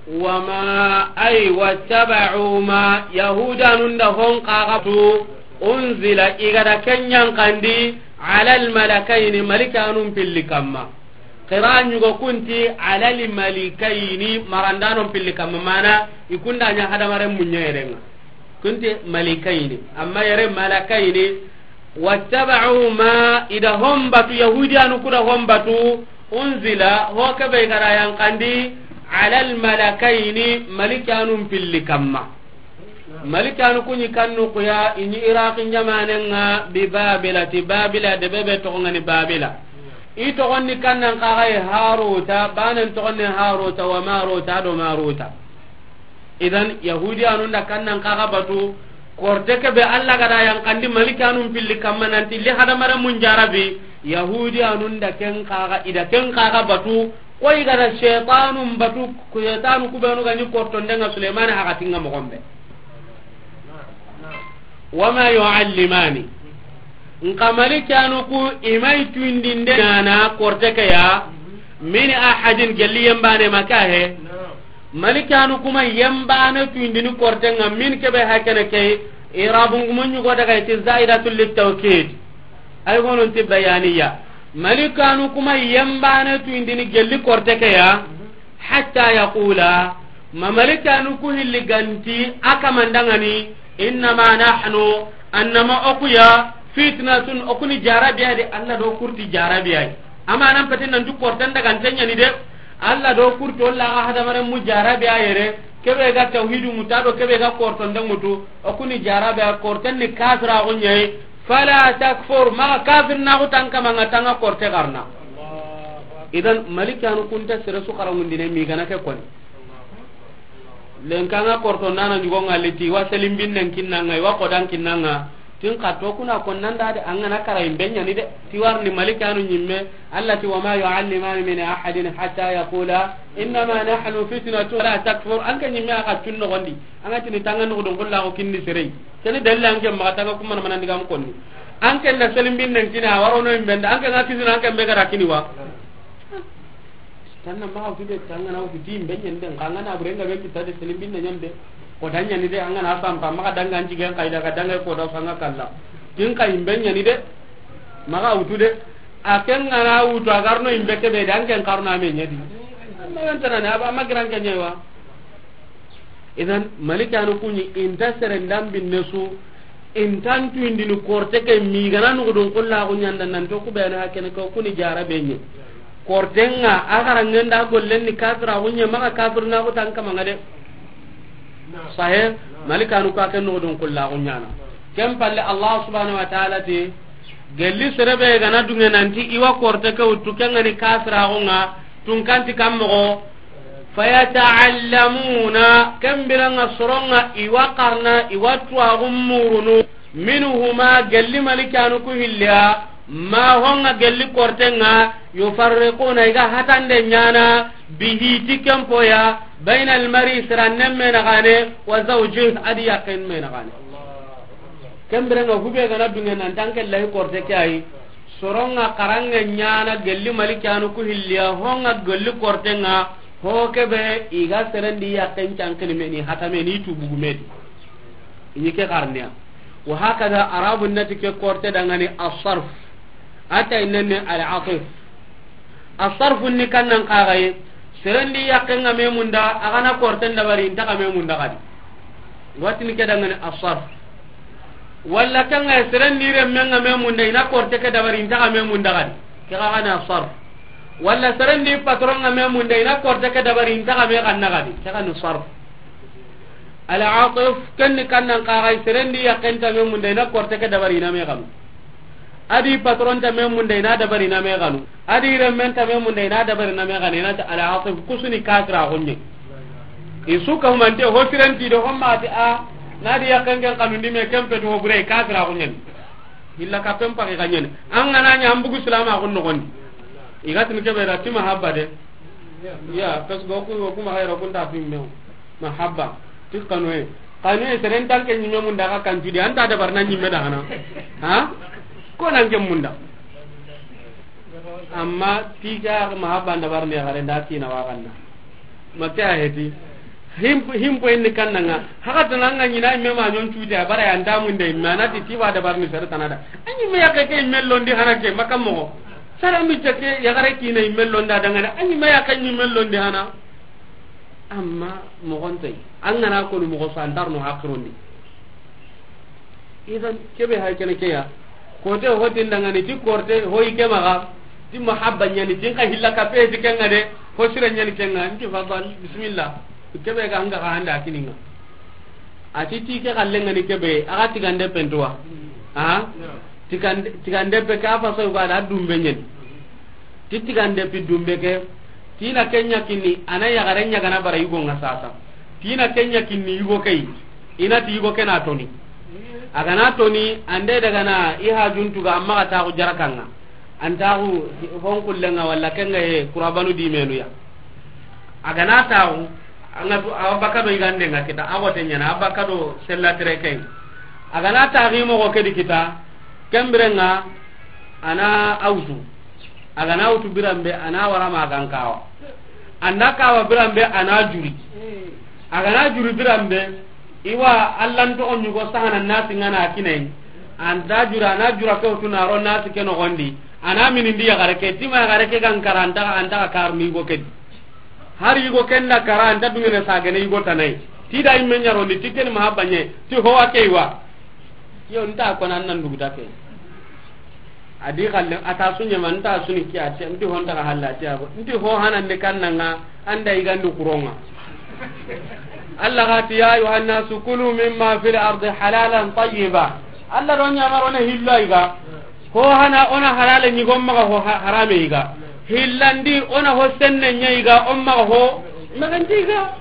Wama, ay, wattaba'u ma, Yahudanun da hon kaxatu, unzila, i ga da ken ɲankandi, ala almalakaini, malikanun pilli kamma. Qira ɲugo kunti, ala almalikaini, marandanon pilli kamma, mana, i kunda ɲa hadamaren muɲerenga. Kunti malikaini, amma yere malakaini, wattaba'u ma, i da hon batu, Yahudiyanu ku da hon batu, unzila, ho kebe i ga da yankandi, ala almalakaini, malikanun pilli kamma. Malikanu ku ɲi kannu kuya, i ɲi Iraqi ɲamanen nga, bi Babila, ti Babila, de bebe toxo nga ni Babila. I toxon ni kannan kaxay Haruta, banen toxon ni Haruta, wa Maruta, do Maruta. Idan, Yahudiyanun da kannan kaxa batu, korte kebe Alla ga da yankandi malikanun pilli kamma nanti li hadamaren mun jarabi, Yahudiyanun da ken kaxa, i da ken kaxa batu, koy ga da shaytanun batu, shaytanu kubenu ga ni kortondenga Sulemani hakatinga moxo be. Wama yu'allimani. Nka malikanu ku i ma i tuindinde ɲana korte ke ya, min ahadin, gelli yembane ma ka he. Malikanu ku ma yembane tuindini korte nga, min kebe hakene ke, irabun gumun ɲugo daga iti zaidatul litawkid. Ay gonon ti bayaniya. Malikanu ku ma yembane tuindini gelli korte ke ya, hatta yaqula, ma malikanu ku hilli ganti a kamandangani, innama nahnu, annama okuya, fitnatun, okuni jarabiya de, Alla do kurti jarabiya. Amma nan pete nan tu kortan daga ntenya ni de, Alla do kurti, o la ga hadamaren mu jarabiya yere, kebe ga tawhidu muta do kebe ga korton de mutu, okuni jarabiya, kortan ni kafira gonye, fala takfur, ma kafir na ku tanka manga tanga korte garna. Idan, malikanu kunta sere su xaramundine mi gana ke koni. Lenkanga korto nana ɲugo nga leti, wa selimbinnen kinnanga, wa kodan kinnanga. Tin ka to kuna konnanda de, an gana kara imbe ɲani de. Ti warni malikanu ɲimme, Alla ti, wama yu'allimani min ahadin hatta yaqula, innama nahnu fitnatun, fala takfur. An ke ɲimme a ka cun noxondi. An ga tini tanga noxo don kolla ko kinni serei. Keni dalila an ke maxa tanga kuma na manandi gam konni. An ke na selimbinnen kina, warono imbe nda, an ke ga kisina, an ke be gara kini wa. Tanna maxa wutu de, tanga na wutu di imbe ɲande, nga na burenga be kita de, selimbin na ɲande. Ko dan ɲani de, an ga na sampa, maxa danga an cigen kayda, ga danga ko da sanga kalla. Kin ka imbe ɲani de, maxa wutu de. A ken ga na wutu, a garno imbe kebe de, an ken karno ame ɲadi. Amma yan tanane, aba, amma giran ke ɲewa. Idan, malikanu kuɲi, inta seren dambinne su, intan tuindini korte ke mi gana nugudun kulla ku ɲanda nan to ku bene hakene ko kuni jarabe ɲe. Kortenga, a garangenda gollen ni kafira ku ɲe, maxa kafir na ku tan kamanga de. Sahe, malikanu ka ken nugudun kulla ku ɲana. Ken palle Allah subhanahu wa ta'ala ti, gelli serebe gana dunge nanti iwa korte ke wutu kengani kafira ku nga, tunkanti kam moxo, fayata'allamuna, kembiranga soronga iwa karna, iwa tuwaxu murunu, minhuma, gelli malikanu ku hilliya, ma honga gelli kortenga, yufarriquna, iga hatande ɲana, bihi, ti kempoya, bayna almari, sirannen menaxane, wa zawjih, adi yaken menaxane. Kembirenga hube gana dunge nan tanke lahi korte ke ayi. Soronga karange ɲana gelli malikanu ku hilliya, honga gelli kortenga, ho kebe iga serendi yaken cankini meni hatame ni tubugumedi. Ini ke karniya. Wa hakada arabu nati ke korte dangani asarf. A ta innanni al-atif. Asarfu ni kannan kaxaye, serendi yaqqen ga me munda, a ga na korten dabari, inta ga me munda xadi. Watini ke dangani asarf. Walla kanga serendi remmen ga me munda, i na korte ke dabari, inta ga me munda xadi. Ke xa gana asarf. Walla serendi patron ga me munda, i na korte ke dabari, inta ga me xanna xadi. Ke xa ni sarf. Al-atif, ken ni kannan kaxaye, serendi yaqqen ta me munda, i na korte ke dabari, i na me xanu. A di patron ta me munda, i na dabari, i na me xanu. A di remmen ta me munda, i na dabari, i na me xanu. I na ti al-atif, kusuni kafira xunye. I su ka humante ho tirenti do homma ti a, na di yaqqen ken xanundi me ken petu ho bure kafira xunye. Illa ka pen paki xanyene. An ga na nya an bugu silama xun no gondi. I ga tini ke be ra ti mahabba de. Ya, parce que ku, ku ma xayra kun ta fi me. Mahabba. Ti kanu e. Kanu e seren tan ke nyime munda ka kan tudi. Anta dabar na nyime da hana. Ha? Ko nan ke munda. Amma ti ga mahabba dabar ne gare da ti na wa ganna. Ma ke a heti. Him, him po inni kannanga. Haka tananga nyina imme ma nyon tuti a bara ya ndamunde imme, a na ti ti wa dabar ni sere tanada. Anyi me ya ke ke imme londi hana ke maka mo. Sara mi jake ya gare kina imme londa dangana. Anyi me ya ke imme londi hana. Amma mo gonte. An ga na ko mo go so andar no hakrondi. Idan ke be hay kene ke ya. Korte ho tin dangani ti korte ho i ke maxa. Ti mahabba nyani tin ka hilla ka pe ti kenga de. Ho sira nyani kenga. Nti fadal, bismillah. Ke be ga anga ka handa kininga. A ti ti ke kallenga ni ke be, a ga tigande pentuwa. Ha? Tigande, tigande pe ka fa so ga da dumbe nyen. Ti tigande pi dumbe ke, ti na kenya kinni, a na yagare nya ga na bara yugo nga sasa. Ti na kenya kinni yugo ke yi, i na ti yugo ke na toni. A ga na toni, ande daga na i hajun tuga amma ga ta ku jarakanga. An ta ku hon kullenga walla kenga he kurabanu di menu ya. A ga na ta ku, anga tu, a baka do igande nga kita, a go te nyana, a baka do sella tere ken. A ga na ta gi mo go ke di kita, kembirenga, a na awtu. A ga na wutu biranbe, a na wara ma gan kawa. An da kawa biranbe, a na juri. A ga na juri biranbe, i wa Allan toxo ɲugo sahana nasi ngana kinai. An da jura, a na jura ke wutu na ro nasi ke noxondi. A na minindi yaxare ke, tima yaxare ke gan kara, an ta, an ta kar ni go ke di. Har yugo ken da kara, an ta dungene sagene yugo tanai. Ti da imme ɲarondi, ti ken mahabba ɲe, ti howa ke wa. Yo, nta ko nan nan duguta ke. A di xalle, a ta su ɲama, nta su ni kiya, ti, nti ho nta ka halla, ti ago. Nti ho hanande kannanga, anda igandi kuronga. Allah ga ti, "Ya ayuha nnasu kulu mimma fil ardi halalan tayyiba." Allah do ɲamaro ne hillo iga. Ho hana ona halale ɲi gomma ga ho ha-, harame iga. Hillandi ona ho senne ɲa iga, omma ga ho, magandi iga.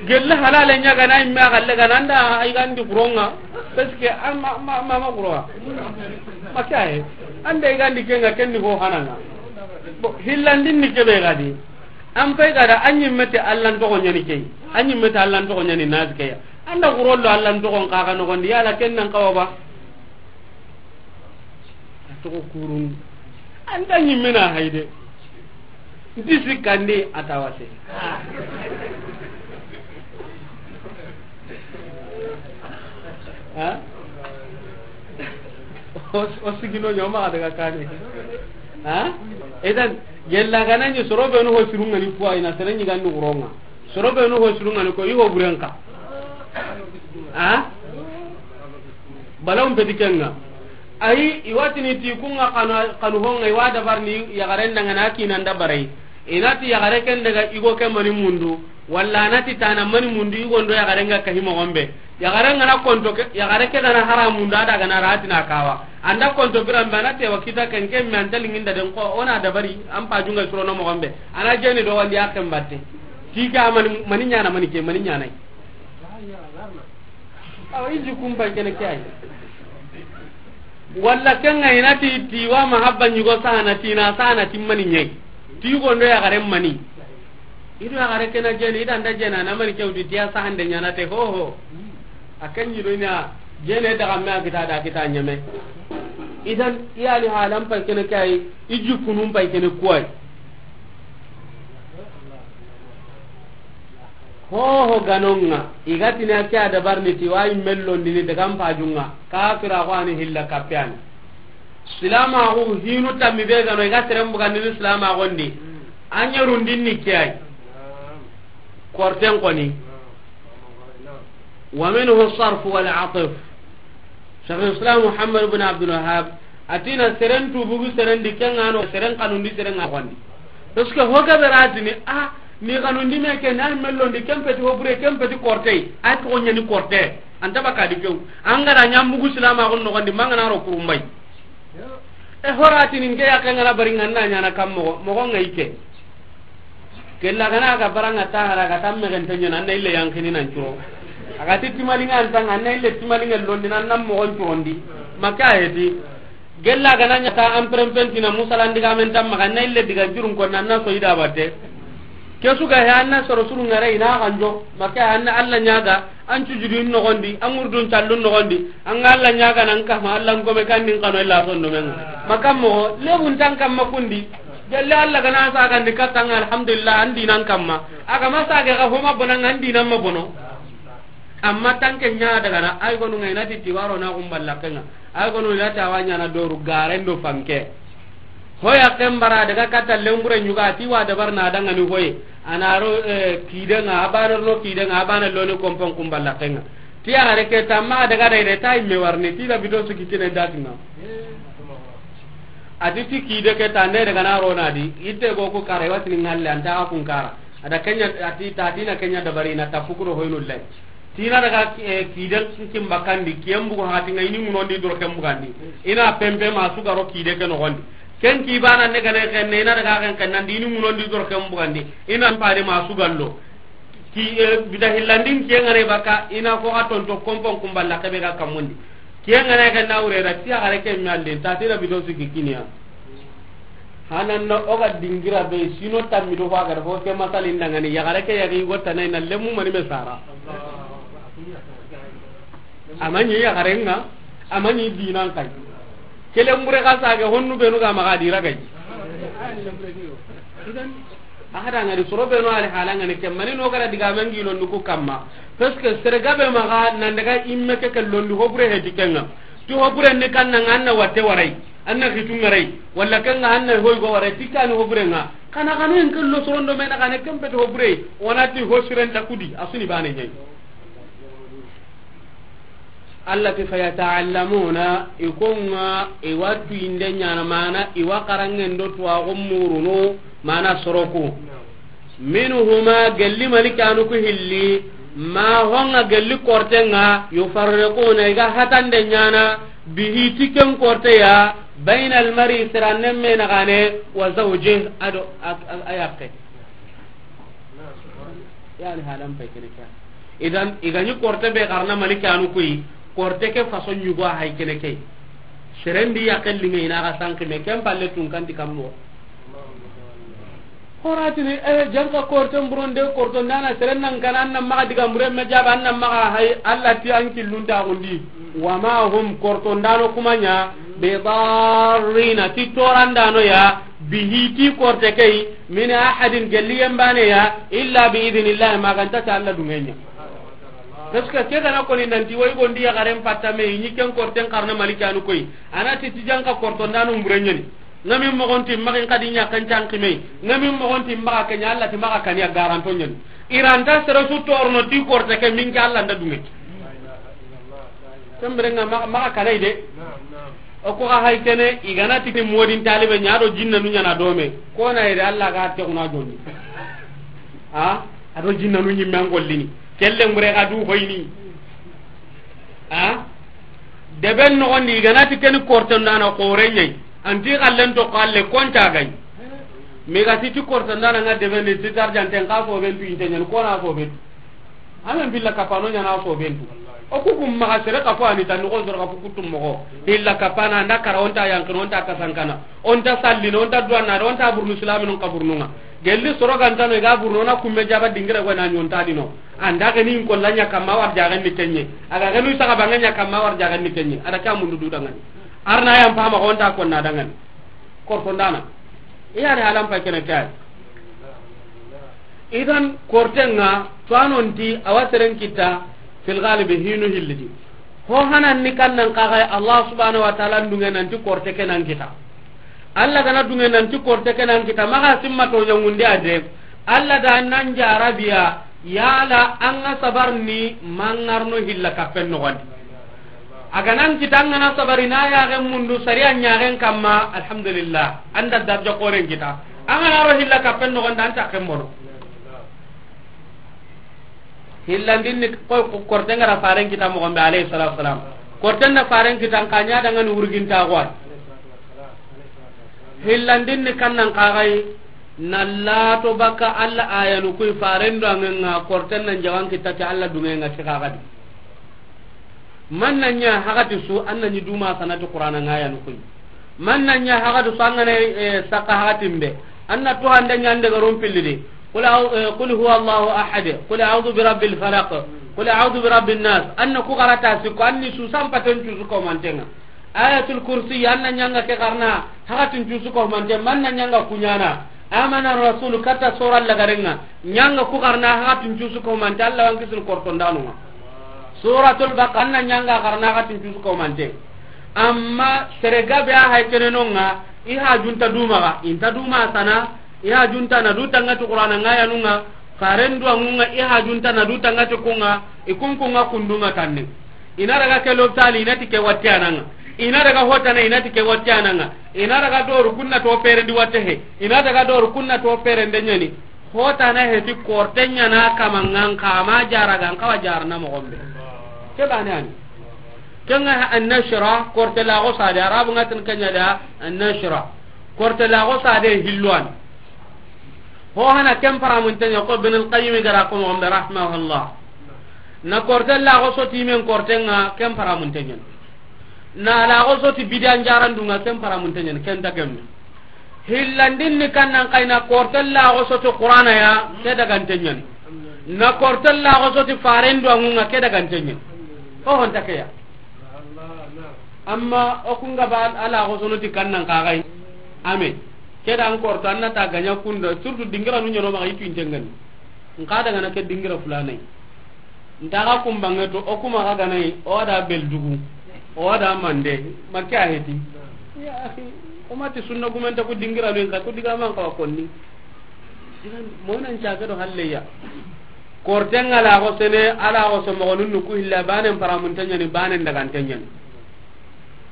Gelle halale ɲa gana imme a galle gana anda a igandi kuronga. Parce que an ma, ma, ma, ma kuronga. Ma kaye. Anda igandi kenga kenni ho hananga. Bo, hillandin ni kebe gadi. An pay gada an ɲimmete Allan toxo ɲani key. An ɲimmete Allan toxo ɲani nazi keya. Anda kurollo Allan toxon kaga noxondi yala ken nan kawa ba. A toxo kurun. Anta ɲimmena hayde. Nti sikkandi a tawase. Ha? O, o sigino ɲoma daga kane. Ha? Idan, gella ganani soro benu ho sirungani kuwa ina sere ɲigandi kuronga. Soro benu ho sirungani ko i ho burenka. A? Balawun peti kenga. Ayi, i watini ti kunga kanu, kanu honga, i wa dabarni yaxaren dangana kinan dabarai. I na ti yaxare ken daga igo ke mani mundu, walla a na ti tana mani mundu, igo ndo yaxaren ga kahi moxon be. Yaxaren gana konto ke, yaxare ke gana hara mundu, a da gana ratina kawa. Anda konto biran be, a na tewa kita ken ke me anta linginda den ko, ona dabari, an pajunga surono moxon be. A na jeni do wandi a ken batte. Ti ka mani, mani ɲana mani ke, mani ɲana. Awa, i jikun pay kene ke ay. Walla kenga i na ti, ti wa mahabba ɲigo sahana, ti na sahana ti mani ɲe. Ti yugo ndo yaxare mani. I do yaxare kena jeni, i da nda jena, na mani ke wutu, ti ya sahande ɲana te, ho, ho. A ken ɲi do ina, jene daga me a kita da kita ɲeme. Idan, i ya ni halan pay kene ke ay, i jikunun pay kene ku ay. Hoho ganonga, i ga tini a ke a dabarni ti wa i mellondini daga n pajunga, kafira ko ani hilla kappe ani. Silaamaxu hinu tammi be ga no i ga seren bugandini silaamaxun di. A ɲerundin ni ke ay. Korten koni. Wa minhu sarf wal atf. Cheikh Islam Muhammad ibn Abdul Wahhab a ti na seren tubugu seren di, ken ŋa no seren xanundi seren ŋa xondi. Parce que ho gabe ratini a ni xanundi me ke na mellondi ken peti ho bure ken peti kortey. Ay ko ɲani korte. Anta baka di kew. An ga ra ɲambugu silaamaxun noxondi mangana ro kurumbay. E horatini nke yaxe ngana bari nganna ɲana kam moxo moxo ŋa i ke. Kella gana ga bara ŋa ta hara ga ta mexen te ɲana, an na ille yankini nan curo. A ga ti timali ŋa an tanga, an na ille timali ŋa londi nan nan moxon curondi. Maka heti. Gella gana ɲa ta an prempentina musalan diga men tamma, an na ille diga jurun ko nan na soyida batte. Ke su ga he, an na soro suru ŋare i na ganjo, maka an na Alla ɲaga, an cujudin noxondi, an ŋurdun callun noxondi, an ga Alla ɲaga nan kama, Alla n gome kan nin kano illa sondo men. Maka moxo, lebun tan kamma kundi, gelle Alla gana sagandi katta ŋa, alhamdulillah, an dinan kamma, a ga ma sage ga homa bonan ŋa, an dinan ma bono. Amma tanke ɲa daga na, ay gonu ŋa i na ti tiwaro na gumballa kenga. Ay gonu i na ti awa ɲana doru garen do fanke. Hoya ken bara daga kata lembure ɲuga ti wa dabar na daga ni hoye. Anaro, eh, kidenga, abana no kidenga, abana loni kompon kumballa kenga. Ti a gare ke tamma daga dai de tay me warni ti da bito su kitine datinga. Ati ti kide ke tande daga na rona di, ite go ko kare watini ngalle anta kun kara. Ada kenya ati ta dina kenya dabari na tapukuro hoyno lai. Tina daga, eh, kiden kin bakandi, kiyen bugu hati nga ini munondi doro ken bugandi. Ina pempe ma sugaro kide ke noxondi. Ken ki bana ne gane ken ne, ina daga ken ken nandi ini munondi doro ken bugandi. Ina pade ma sugallo. Ki, eh, bida hillandin kiyen ngane baka, ina ko aton to kompon kumballa kebe ga kamundi. Kiyen ngane ken na urera, ti a gare ken mallin, ta tira bito su kikiniya. Hanan na o ga dingira be sino tammi do wa ga fo ke masalin dangani ya gare ke ya gi gotta nay na lemu mani me sara. Amani ya gare nga, amani dinan kay. Kelen bure ka sa ga honnu be no ga ma ga dira gay. A hada ngari soro be no ali hala ngani ke mani no gara diga men gi londu ku kamma. Parce que sere gabe ma ga nan daga imme ke ke londu ho bure he dikenga. Ti ho bure ni kan nan anna watte warai. Anna xitu ngarai, walla kanga anna hoy go wara tikani ho burenga. Kana kana en kello sorondo mena kana kembe ho bure. Wonati ho sirenta kudi, asuni bane nyai. Allati fayata'allamuna, ikonga, iwatu inde nyana mana, iwa karangen do tuwa gumuruno, mana soroku. Minhuma, gelli malikanu ku hilli, ma honga gelli kortenga, yufarriquna, iga hatande nyana, bihi, ti ken korteya, bayna almari, sirannen me nagane, wa zawjih, ado a, a, a yakke. Yani halan pay kene kya. Idan, igani korte be karna malikanu kuyi, korte ke façon yugo hay kene kay. Serendi yakke linge ina ga sanki me ken palle tun kanti kammo. Horatini, eh, janka korten buronde, kortondana seren nan kana, an nan maxa diga mure me jaba, an nan maxa hay, Allah ti an killunta gundi. Wa ma hum, kortondano kumanya, bi darrina, ti torandano ya, bihi, ti korte kay, min ahadin, gelli yembane ya, illa bi idhnillah, maganta ta Allah dungenya. Parce que ke gana koni nanti way gondi ya garen patta me, ni ken korten karna malikanu koy. Anati ti janka kortondano mburenyani. Ngami mogonti maxin kadi ɲa kan cankime. Ngami mogonti maxa kenya, Allah ti maxa kaniya garanto ɲani. Iranta sere su torno ti korte ke minke Allah nda dunge. Kembere nga maxa, maxa kanai de. O ko ga hay kene, igana titi modin talibe ɲa do jinna nu ɲana dome. Ko na ire Allah ga te kuna jonni. Ha? Ado jinna nu ɲimme an gollini. Kelle ngure ga du hoyni. Ha? Deben nogondi, igana ti keni kortondana xore ɲai. Anti xallen to xalle konta gay. Mi ga ti ti kortondana nga deben ni ti tarjanten ka fo ben tu inte ɲan kona fo ben. Amen billa kapano ɲana fo ben tu. O ku kum maxa sere ka fo ani tan ko zor ka fu kutum mogo. Billa kapana nda kara onta yankin onta kasankana. Onta sallino, onta duwanna, onta burnu silaminu ka burnunga. Gelli soro gantano iga burno na kumme jaba dingira go na ɲonta dino. Anda gani in kolla ɲa kamma war jagan ni kenye. Aga ganu saga banga ɲa kamma war jagan ni kenye. Ada ka mundu du dangani. Arna yam pama onta konna dangani. Kortondana. Iya ne halan pa kene kay. Idan kortenga tuwanonti awa seren kita fil galibi hinu hillidi. Ho hanan ni kannan kaga Allah subhanahu wa ta'ala dunŋe nanti korte ke nan kita. Allah gana dunŋe nanti korte ke nan kita, maxa simma to ɲangundi ade. Allah da nan jarabiya, yala an ga sabar ni mangarno hilla kappen noxondi. A ga nan kita an gana sabari na yaxen mundu sariya ɲaxen kamma, alhamdulillah, an da darja xoren kita. An gana ro hilla kappen noxondi, an ta ken bono. Hillandin ni ko, ko korten ga ra faren kita moxon be, alayhi salatu wasalam. Korten na faren kita, an kanya dangan wurginta gwan. Hillandin ni kannan kagai, na lato baka Allah ayanu kuy faren do angenga, korten nan jawan kita ti Allah dungenga ti kagadi. Man na ɲa hagati su, an na ɲi duma sanati Qur'ana nga ayanu kuy. Man na ɲa hagati su, an gana, eh, saka hagatin be. An na to hande ɲande garon pillidi. Qul a'u-, eh, qul huwa Allahu ahad. Qul a'udhu bi rabbil falaq. Qul a'udhu bi rabbin nas. An na ku garata sikko, an ni su sampaten cusu ko mantenga. Ayatul Kursi, an na ɲanga ke karna, hakatin cusu ko mante, man na ɲanga kuɲana. Amana Rasul kata sora lagarenga, ɲanga ku karna, hakatin cusu ko mante, Allah wan kisin kortondanunga. Suratul Baqara, an na ɲanga karna, hakatin cusu ko mante. Amma sere gabe a hay kenenonga, i hajunta dumaga, inta duma sana, i hajunta na du tangati Qur'ana nga ayanunga, faren duwangunga, i hajunta na du tangati kunga, i kunkunga kundunga tanne. I na daga ke lopitali, i na ti ke watte ananga. I na daga hotana, i na ti ke watte ananga. I na daga doru kunna to perendi watte he. I na daga doru kunna to perende ɲani. Hotana he ti korte ɲana kamangan kama jaragan kawa jarana moxon be. Ke bane ani. Kenga annashra, korte laxo sade, Arabu ngatin kenya da annashra. Korte laxo sade hilwan. Ho hana ken paramunten ɲa ko Ibn al-Qayyim gara ko moxon be, rahimahullah. Na korte laxo soti men kortenga ken paramunten ɲa. Na laxo soti bidan jarandunga ken paramunten ɲa, ken ta gemme. Hillandin ni kannan kayna korte laxo soti Qur'ana ya, ke daganten ɲa. Na korte laxo soti faren duwangunga ke daganten ɲa. Ho honta ke ya. Amma o kunga ba ala xo sono ti kannan kagai. Ame. Ke da an korto an na ta ganya kunda, surtout dingira nu ɲono maxa itu intengani. Nka daga na ke dingira fulanai. Nta ga kumbange to, o kuma ga ganai, o da beldugu. O da mande, makke a heti. Ya akhi, o mati sunna gumenta ku dingira nu nka ku diga man ka konni. Idan monan caga do halleya. Kortenga laxo sene, a laxo so moxonun nu ku hilla, banen paramunten ɲani, banen daganten ɲani.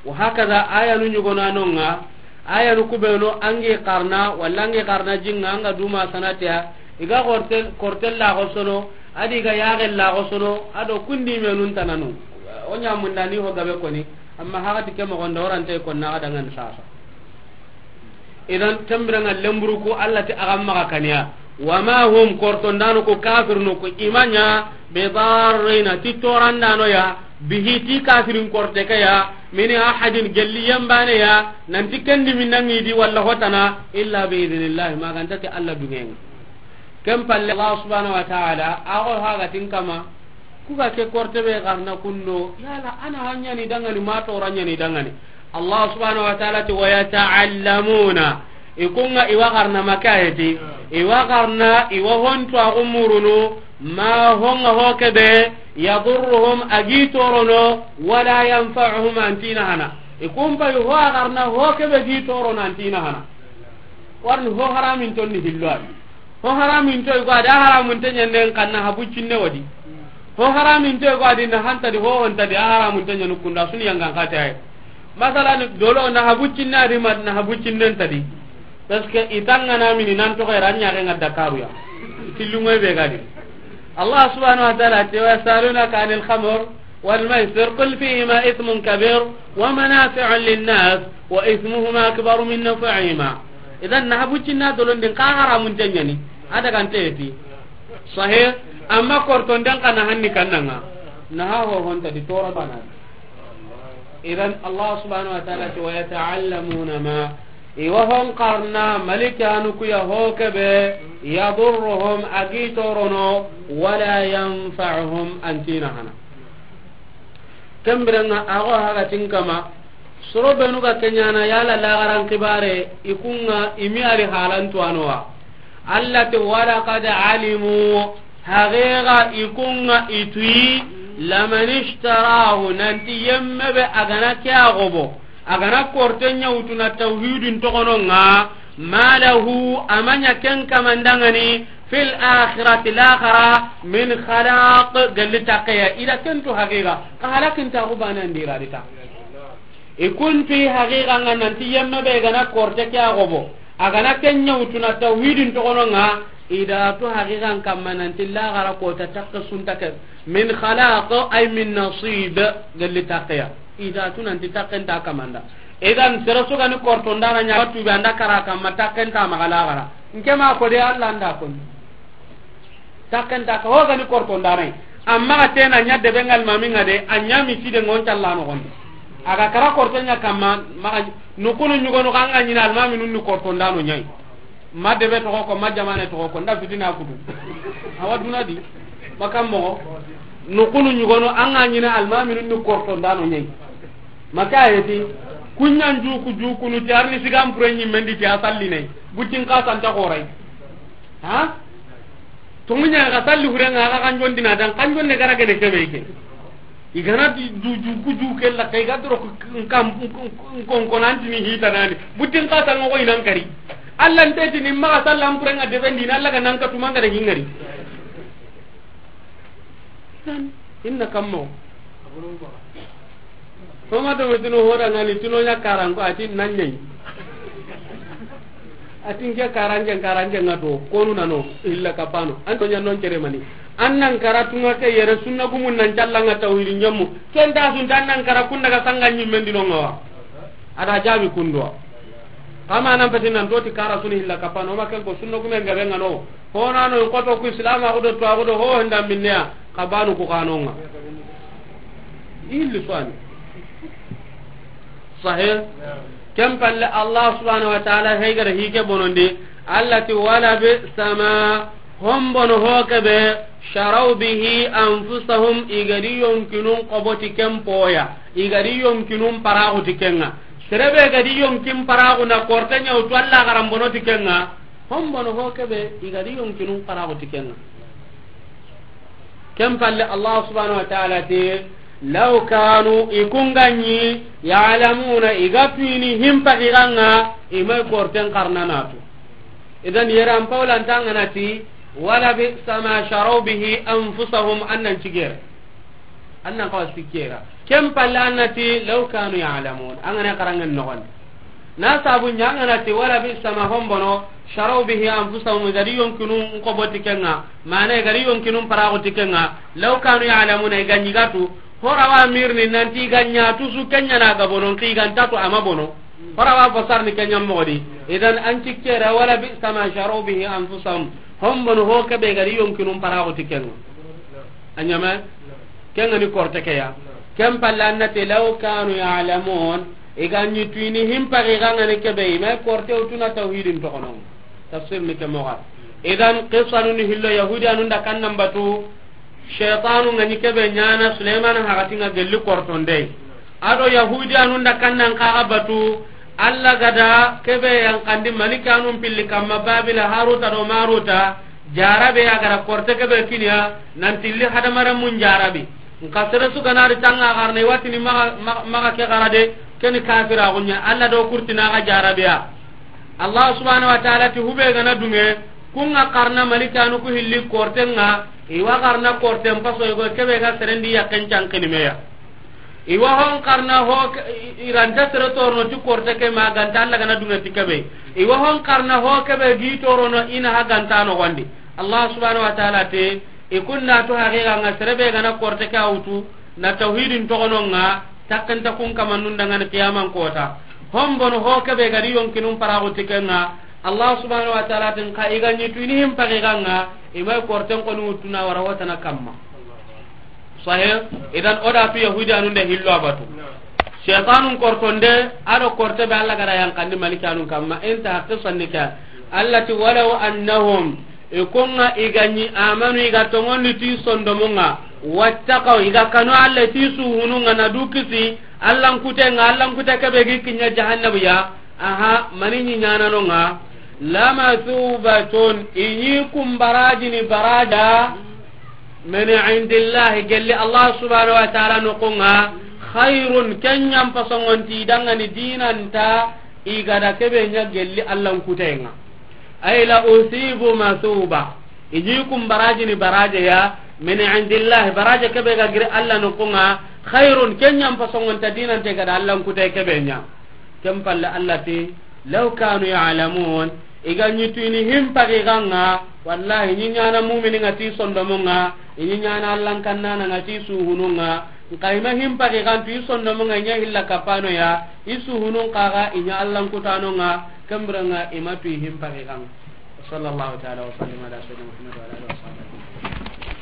Wa hakaza ayanu ɲugonanonga, ayanu kubenu angi karna, walla angi karna jinga, anga duma sanateya, i ga korte, korte laxo sono, adi ga yaxen laxo sono, ado kundi menun tananu. O ɲamundani ho gabe koni, amma hagati ke moxonda orante konna ga dangani sasa. Idan, kembirenga lemburu ku Allah ti a ga maxa kaniya. Wa ma hum, kortondano ku, kafirnu ku, i ma ɲa, bidarrina, ti torandano ya, bihi, ti kafirin korte ke ya, min ahadin, gelli yembane ya, nanti kendi minangi di walla hotana, illa bi idhnillah, maganta ti Allah dungenga. Ken palle Allah subhanahu wa ta'ala, a go haga tin kama, Ku ga ke korte be garna kundo, yala ana hanyani dangani, ma toranyani dangani. Allah subhanahu wa ta'ala ti, "Wa yata'allamuna." I kunga i wa garna makayeti, i wa garna, i wa hontu a gumurunu, ma honga ho kebe, yadurruhum, a gi torono, wala yanfa'uhum, antina hana. I kumpa i ho a garna ho kebe gi torono, antina hana. Warni ho haramin tonni hillo adi. Ho haramin to i go adi, a haramun te ɲanden kanna habu cinne wadi. Ho haramin to i go adi, na hanta di, ho honta di, a haramun te ɲanu kunda, suni yangan kate ay. Masalan, dolo na habu cinne adi, ma na habu cinnen tadi. Parce que i tangana mini nan to xera ɲaxe nga Dakaru ya. Tillungoy be gadi. Allah subhanahu wa ta'ala te, "Wa yasalunaka anil khamr." والميسر قل فيهما إثم كبير ومنافع للناس وإثمهما أكبر من نفعهما. Idan, na habu cinna dolondin ka haramun te ɲani. A daga nte ti. Sahih, amma korton den kana hanni kannanga. Na ha ho honta di tora bana. Idan, Allah subhanahu wa ta'ala ti, "Wa yata'allamuna ma." I wa hon karna malikanu ku ya ho kebe, yadurruhum, a gi torono, wala yanfa'uhum, antina hana. Kembirenga a go haga tin kama, soro benu ga kenyana yala lagaran kibare, i kunga i mi ari halan tuwanowa. Allah te, "Wa laqad alimu," haqiqa i kunga i tuyi, Laman ishtarahu, nanti yemme be a ga na ke a gobo, a ga na korte ɲa wutu na tawhidin toxono ŋa, ma lahu, a ma ɲa ken kaman da ŋa ni, fil akhirati, laxara, min khalaq, galli taxeya, i da ken tu haqiqa, ka halakin ta ku bana ndira di ta. I kuntu i haqiqa ŋa nanti yemme be ga na korte ke a gobo, a ga na ken ɲa wutu na tawhidin toxono ŋa, i da tu haqiqan kamma nanti laxara kota taxe sunta ke, min khalaq, ay min nasib, galli taxeya. I da tu nanti taxen ta kamanda. Idan sere su ga ni korto ndana ɲa tu be anda kara kamma taxen ta maxa laxara. Nke ma ko de Allah nda ko. Taxen ta ka ho ga ni korto ndana. Amma ga tena ɲa de be ngal mami ŋa de, a ɲa mi ti de ŋon talla no gonde. A ga kara korto ɲa kamma maxa nukunu ɲugonu ka ŋa ɲina almami nun ni korto ndano ɲai. Ma debe toxo ko, ma jamane toxo ko, nda fitina kutu. Awa duna di. Makam mo. Nukunu ɲugono an ga ɲina almaminun ni korto ndano ɲai. Maka heti. Kunɲan juku jukunu ti arni sigam pure ɲi mendi ti a salli ne. Butin ka santa xorai. Ha? Tonguɲa ga salli hure ŋa ga kanjon dina dan kanjon ne gara gene kebe ke. I ga na di du ju ku ju ke la kay ga doro ko kam kon kon anti ni hita nani. Butin ka tan ko inan kari. Allah nte ti ni ma sallam pure ŋa de bendi na Allah ga nan ka tuma ŋa de hingari. Inna kammo. Homa do metino hoda ŋa ni tino ɲa karan ko ati nan ɲai. Ati nke karanke, karanke ŋa to, konu nano, illa kapano. An to ɲa non cere mani. An nan kara tunga ke yere sunna gumun nan calla ŋa tawhidi ɲammu. Ken ta sun tan nan kara kun daga sanga ɲimmen dino ŋa wa. Ada jabi kundo. Kama nan pati nan to ti kara suni illa kapano, ma ken ko sunna gumen gabe ŋa no. Hona no ko to ku islam a ko do to a ko do ho handa minne ya. Kabanu ku kanonga. Illi swani. Sahih. Ken palle Allah subhanahu wa ta'ala hay gara hike bonondi. Allah ti wala bi sama hombono ho kebe sharaw bihi anfusahum, i ga di yonkinun qoboti ken poya. I ga di yonkinun paraxuti kenga. Serebe ga di yonkin paraxu na korte ɲawtu Allah garambono ti kenga. Hombono ho kebe i ga di yonkinun paraxuti kenga. Ken palle Allah subhanahu wa ta'ala ti, law kanu, i kun ga ɲi, ya'lamuna, i ga tuini himpa xiranga, i may korten karna natu. Idan yeran pawlan tangana ti, wala bi sama sharaw bihi anfusahum, annan cigere. Annan kawa sikera. Ken palle annati, law kanu ya'lamun, angana karangen nogon. Na sabu ɲa ngana ti wala bi sama hombono, sharaw bihi anfusahum, i ga di yonkinu nko boti kenga, mana i ga di yonkinu parago ti kenga, law kanu ya'lamuna, i ga ɲi ga tu, horawa mirni nanti i ga ɲa tu su kenya na ga bono, ki ga nta tu ama bono. Horawa basar ni kenya mogodi. Idan an ci kera wala bi sama sharaw bihi anfusahum. Hombono ho kebe i ga di yonkinu parago ti kenga. A ɲame? Kenga ni korte ke ya. Ken palle annati law kanu ya'lamun, i ga ɲi tuini himpa i ga ngani kebe, i ma korte utuna tawhidin tokono. Tafsir ni ke moga. Idan qissanu ni hillo Yahudiyanun da kannan batu, shaytanu ngani kebe ɲana Sulaiman hagatinga gelli kortonde. Ado Yahudiyanun da kannan kaga batu, Allah gada kebe yankandi malikanun pilli kamma Babila Haruta do Maruta, jarabe ya gara korte kebe kiniya, nan tilli hadamaren mun jarabi. Nka sere su ganari tanga garne watini maga, maga, maga ke gara de, keni kafira gunya, Allah do kurtina ga jarabiya. Allah subhanahu wa ta'ala ti hube gana dunge, kunga karna malikanu ku hilli kortenga, iwa karna korten paso yugo kebe ga serendi yakken cankini meya. Iwa hon karna ho ke-, i-, iranta sere torono ti korte ke ma ganta Allah gana dunga ti kebe. Iwa hon karna ho kebe gi torono ina ha ganta no gondi. Allah subhanahu wa ta'ala te, i kunna to haqiqa nga serebe gana korte ke awtu, na tawhidin togono nga, takkanta kun kamannun dangani qiyaman kota. Hombono ho kebe gadi yonkinun parago tikenga, Allah subhanahu wa ta'ala tin ka i ga ɲi tuini him paqiqa nga, i may korten koni wutuna wara watana kamma. Sahih. Idan oda tu Yahudiyanun de hillo abatu. Shaytanun kortonde, ado korte be Allah gara yankandi malikanun kamma, inta haqqi sannika. Allah ti walaw annahum, i konga i ga ɲi amanu i ga tongondi ti sondomunga, wattaqaw i ga kanu Allah ti suhununga na du kisi, Allah nkutenga, Allah nkute kebe gi kinya jahannabu ya, aha, mani ɲi ɲananonga, lama thubatun, i ɲi kumbarajini baraja, Min indillahi, gelli Allah subhanahu wa ta'ala noxon ŋa, khairun, ken ɲa n pasongonti i danŋa ni dinanta, i ga da kebe ɲa gelli Allah n kutayen ŋa. Ay la usibu masuba, i ɲi kun baraji ni baraje ya, min indillahi, baraje kebe ga giri Allah noxon ŋa, khairun, ken ɲa n pasongonta dinante ga da Allah n kutaye kebe ɲa. Ken palle Allah ti, law kanu ya'lamun, i ga ɲi tu i ni himpagi ga ŋa, wallahi, i ɲi ɲaana mumini ŋa ti sondomo ŋa, i ɲi ɲaana Allah n kannana ŋa ti suhunu ŋa, nxa i ma himpagi ga tu i sondomo ŋa, i ɲa hilla kapano ya, i suhunun xa ga, i ɲa Allah n kutano ŋa, ken bire ŋa i ma tu i himpagi ga ŋa. Wa sallallahu ta'ala wa sallim ala sayyidina Muhammad wa ala alihi wa sahbihi.